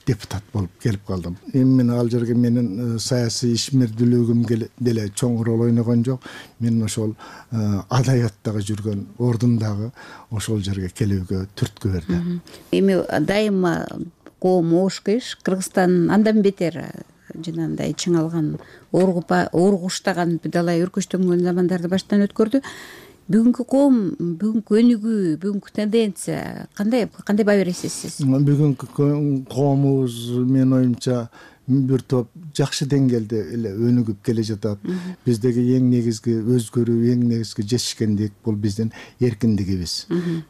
депутат болуп келип калдым. Эми мен ал жерге менин саясий ишмердүүлүгүм деле чоң роль ойногон жок. Мен ошол адабияттагы жүргөн ордундагы ошол жерге келүүгө түрткү берди. Эми дайыма коом ошкеш, Кыргызстан андан бетер жанагындай чыңалган, ооргуштаган далай өркөчтөнгөн замандарды баштан өткөрдү. Бүгүнкү коом, бүгүнкү өнүгүү, бүгүнкү тенденция кандай кандай баа бересиз сиз? Бүгүнкү коомубуз менин оюмча бир топ жакшы деңгээлде эле өнүгүп келе жатат. Биздеги эң негизги өзгөрүү, эң негизги жетишкендик бул биздин эркиндигибиз.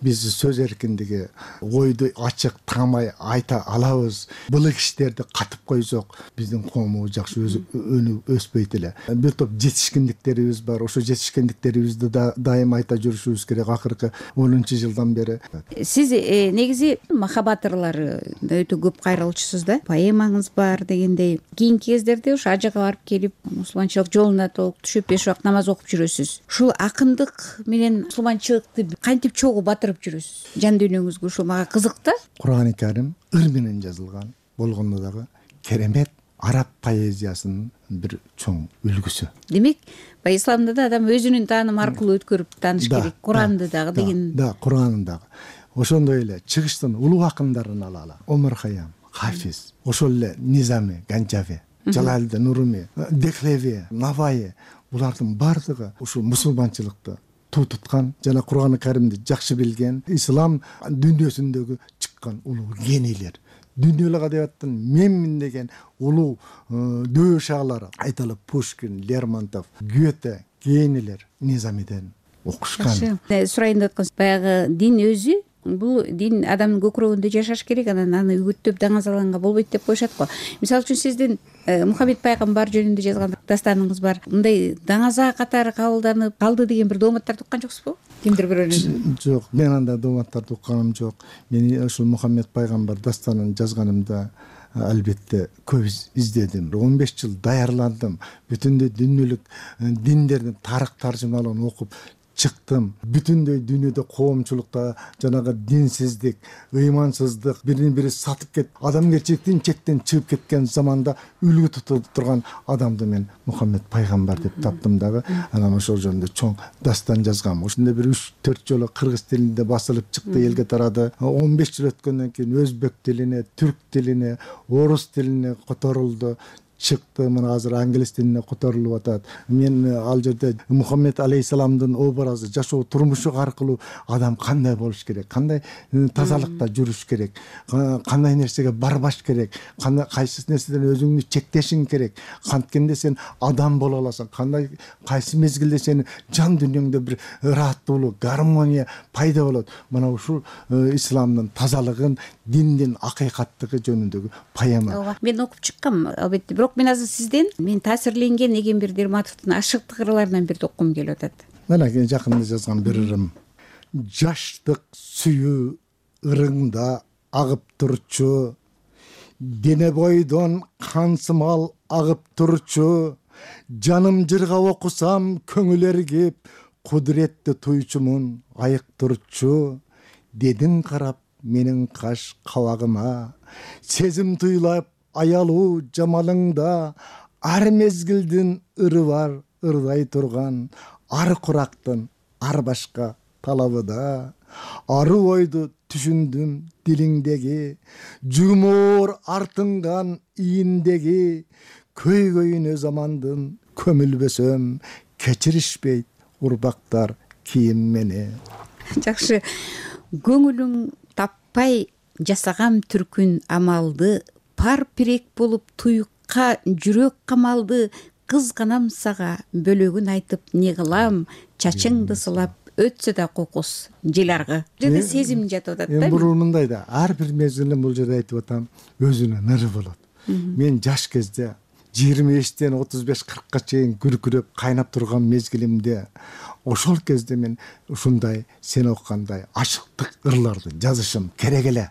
Биз сөз эркиндиги, ойду ачык таамай айта алабыз. Былык иштерди катып койсок, биздин коомубуз жакшы өнүгүп өспөйт эле. Бир топ жетишкендиктерибиз бар. Ошо жетишкендиктерибизди дайым айта жүрүшүбүз керек. Акыркы онунчу жылдан бери. Сиз негизи махабат ырлары өтө көп кайрылчусуз да. Поэмаңыз бар деген. Кийинки кездерде ушу ажыга барып келип, мусулманчылык жолуна толук түшүп, беш убакыт намаз окуп жүрөсүз. Ушул акындык менен мусулманчылыкты кантип чогуу батырып жүрөсүз? Жан дүйнөңүзгө ушул мага кызык да. Кур'ан-ы Карим ыр менен жазылган болгондо дагы керемет араб поэзиясынын бир чоң үлгүсү. Демек, баягы исламда да адам өзүнүн таанымы аркылуу өткөрүп тааныш керек. Куранды дагы деген. Да, Куранды дагы. Ошондой эле чыгыштын улуу акындарын алалы. Омар Хайям, Хафиз, ошол эле Низами, Ганчави, Жалалдин Руми, Дехлеви, Наваи, булардын бардыгы ушул мусулманчылыкты туу туткан жана Кур'ан-ы Каримди жакшы билген, ислам дүйнөсүндөгү чыккан улуу генийлер. Дүйнөлүк адабияттын менмин деген улуу дөшаалары айталы Пушкин, Лермонтов, Гёте, генийлер Низамиден окушкан. Сурайын деп аткан баягы дин өзү, бул дин адамдын көкүрөгүндө жашаш керек, анан аны үгүттөп даңазалганга болбойт деп коюшат го. Мисалы үчүн сиздин Мухаммед пайгамбар жөнүндө жазган дастаныңыз бар. Мындай даңаза катары кабылданып калды деген бир дооматтарды уккан жоксузбу? Кимдир бирөөнүн? Жок, мен андай дооматтарды укканым жок. Мен ушул Мухаммед пайгамбар дастанын жазганымда албетте көп издедим. он беш жыл даярландым. Бүтүндөй дүйнөлүк диндердин тарых таржымаларын окуп чыктым. Бүтүндөй дүйнөдө коомчулукта жанагы динсиздик, ыймансыздык, бирин бири сатып кет, адамгерчиликтин чектен чыгып кеткен заманда үлгү тутуп турган адамды мен Мухаммед пайгамбар деп таптым дагы. Анан ошол жөнүндө чоң дастан жазгам. Ошондой бир үч төрт жолу кыргыз тилинде басылып чыкты, элге тарады. он беш жыл өткөндөн кийин өзбек тилине, түрк тилине, орус тилине которулду. чыкты. Мына азыр англис тилине которулуп атат. Мен ал жерде Мухаммед алейхисаламдын образы, жашоо турмушу аркылуу адам кандай болуш керек, кандай тазалыкта жүрүш керек, кандай нерсеге барбаш керек, кандай кайсы нерседен өзүңдү чектешиң керек, канткенде сен адам боло аласың, кандай кайсы мезгилде сенин жан дүйнөңдө бир ыраттуулук, гармония пайда болот. Мына ушул исламдын тазалыгын, диндин акыйкаттыгы жөнүндөгү поэма. Мен окуп чыккам албетте, бирок мен азыр сизден мен таасирленген Эгембер Дерматовдун Ашыктык ырларынан бирди окугум келип атат. Мына жакында жазган бир ырым. Жаштык сүйүү ырыңда агып турчу, дене бойдон кансымал агып турчу, жаным жырга окусам көңүл эргип, кудуретти туйчумун айык турчу, дедиң карап менин каш кабагыма, сезим туйлап аялуу жамалыңда, ар мезгилдин ыры бар ырдай турган, ар курактын ар башка талабы да, аруу ойду түшүндүм дилиңдеги, жумуур артынган ийиндеги, көйгөйүнө замандын көмүлбөсөм, кечиришпейт урбактар кийим мени. Жакшы, көңүлүң таппай жасагам түркүн амалды, пар пирек болуп туюкка жүрөк камалды, кызганам сага бөлөгүн айтып не кылам, чачыңды сылап өтсө да кокус жел аргы. Жерде сезим жатып атат да. Эми бул мындай да, ар бир мезгилде бул жерде айтып атам, өзүнүн ыры болот. Мен жаш кезде жыйырма бештен отуз беш кыркка чейин күркүрөп кайнап турган мезгилимде, ошол кезде мен ушундай сен окугандай ашыктык ырларды жазышым керек эле.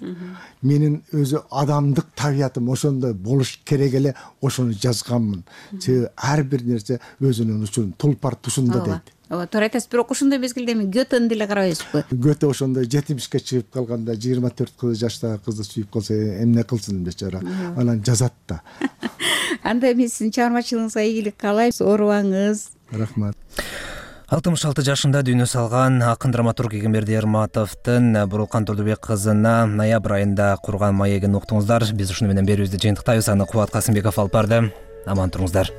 Менин өзү адамдык табиятым ошондой болуш керек эле, ошону жазганмын. Себеби ар бир нерсе өзүнүн учурун тулпар тушунда дейт. Ооба, туура айтасыз. Бирок ошондой мезгилде эми Гётени деле карабайсызбы? Гёте ошондой жетимишке чыгып калганда жыйырма төрт жаштагы кызды сүйүп калса эмне кылсын бечара. Анан жазат да. Анда мен сиздин чыгармачылыгыңызга ийгилик каалайм. Оорубаңыз. Рахмат. алтымыш алты жашында дүйнө салган акын драматург Эгембер Дерматовдун Бурулкан Турдубек кызына ноябрь айында курган маегин уктуңуздар. Биз ушуну менен берүүбүздү жыйынтыктайбыз. Аны Кубат Касымбеков алып барды. Аман туруңуздар.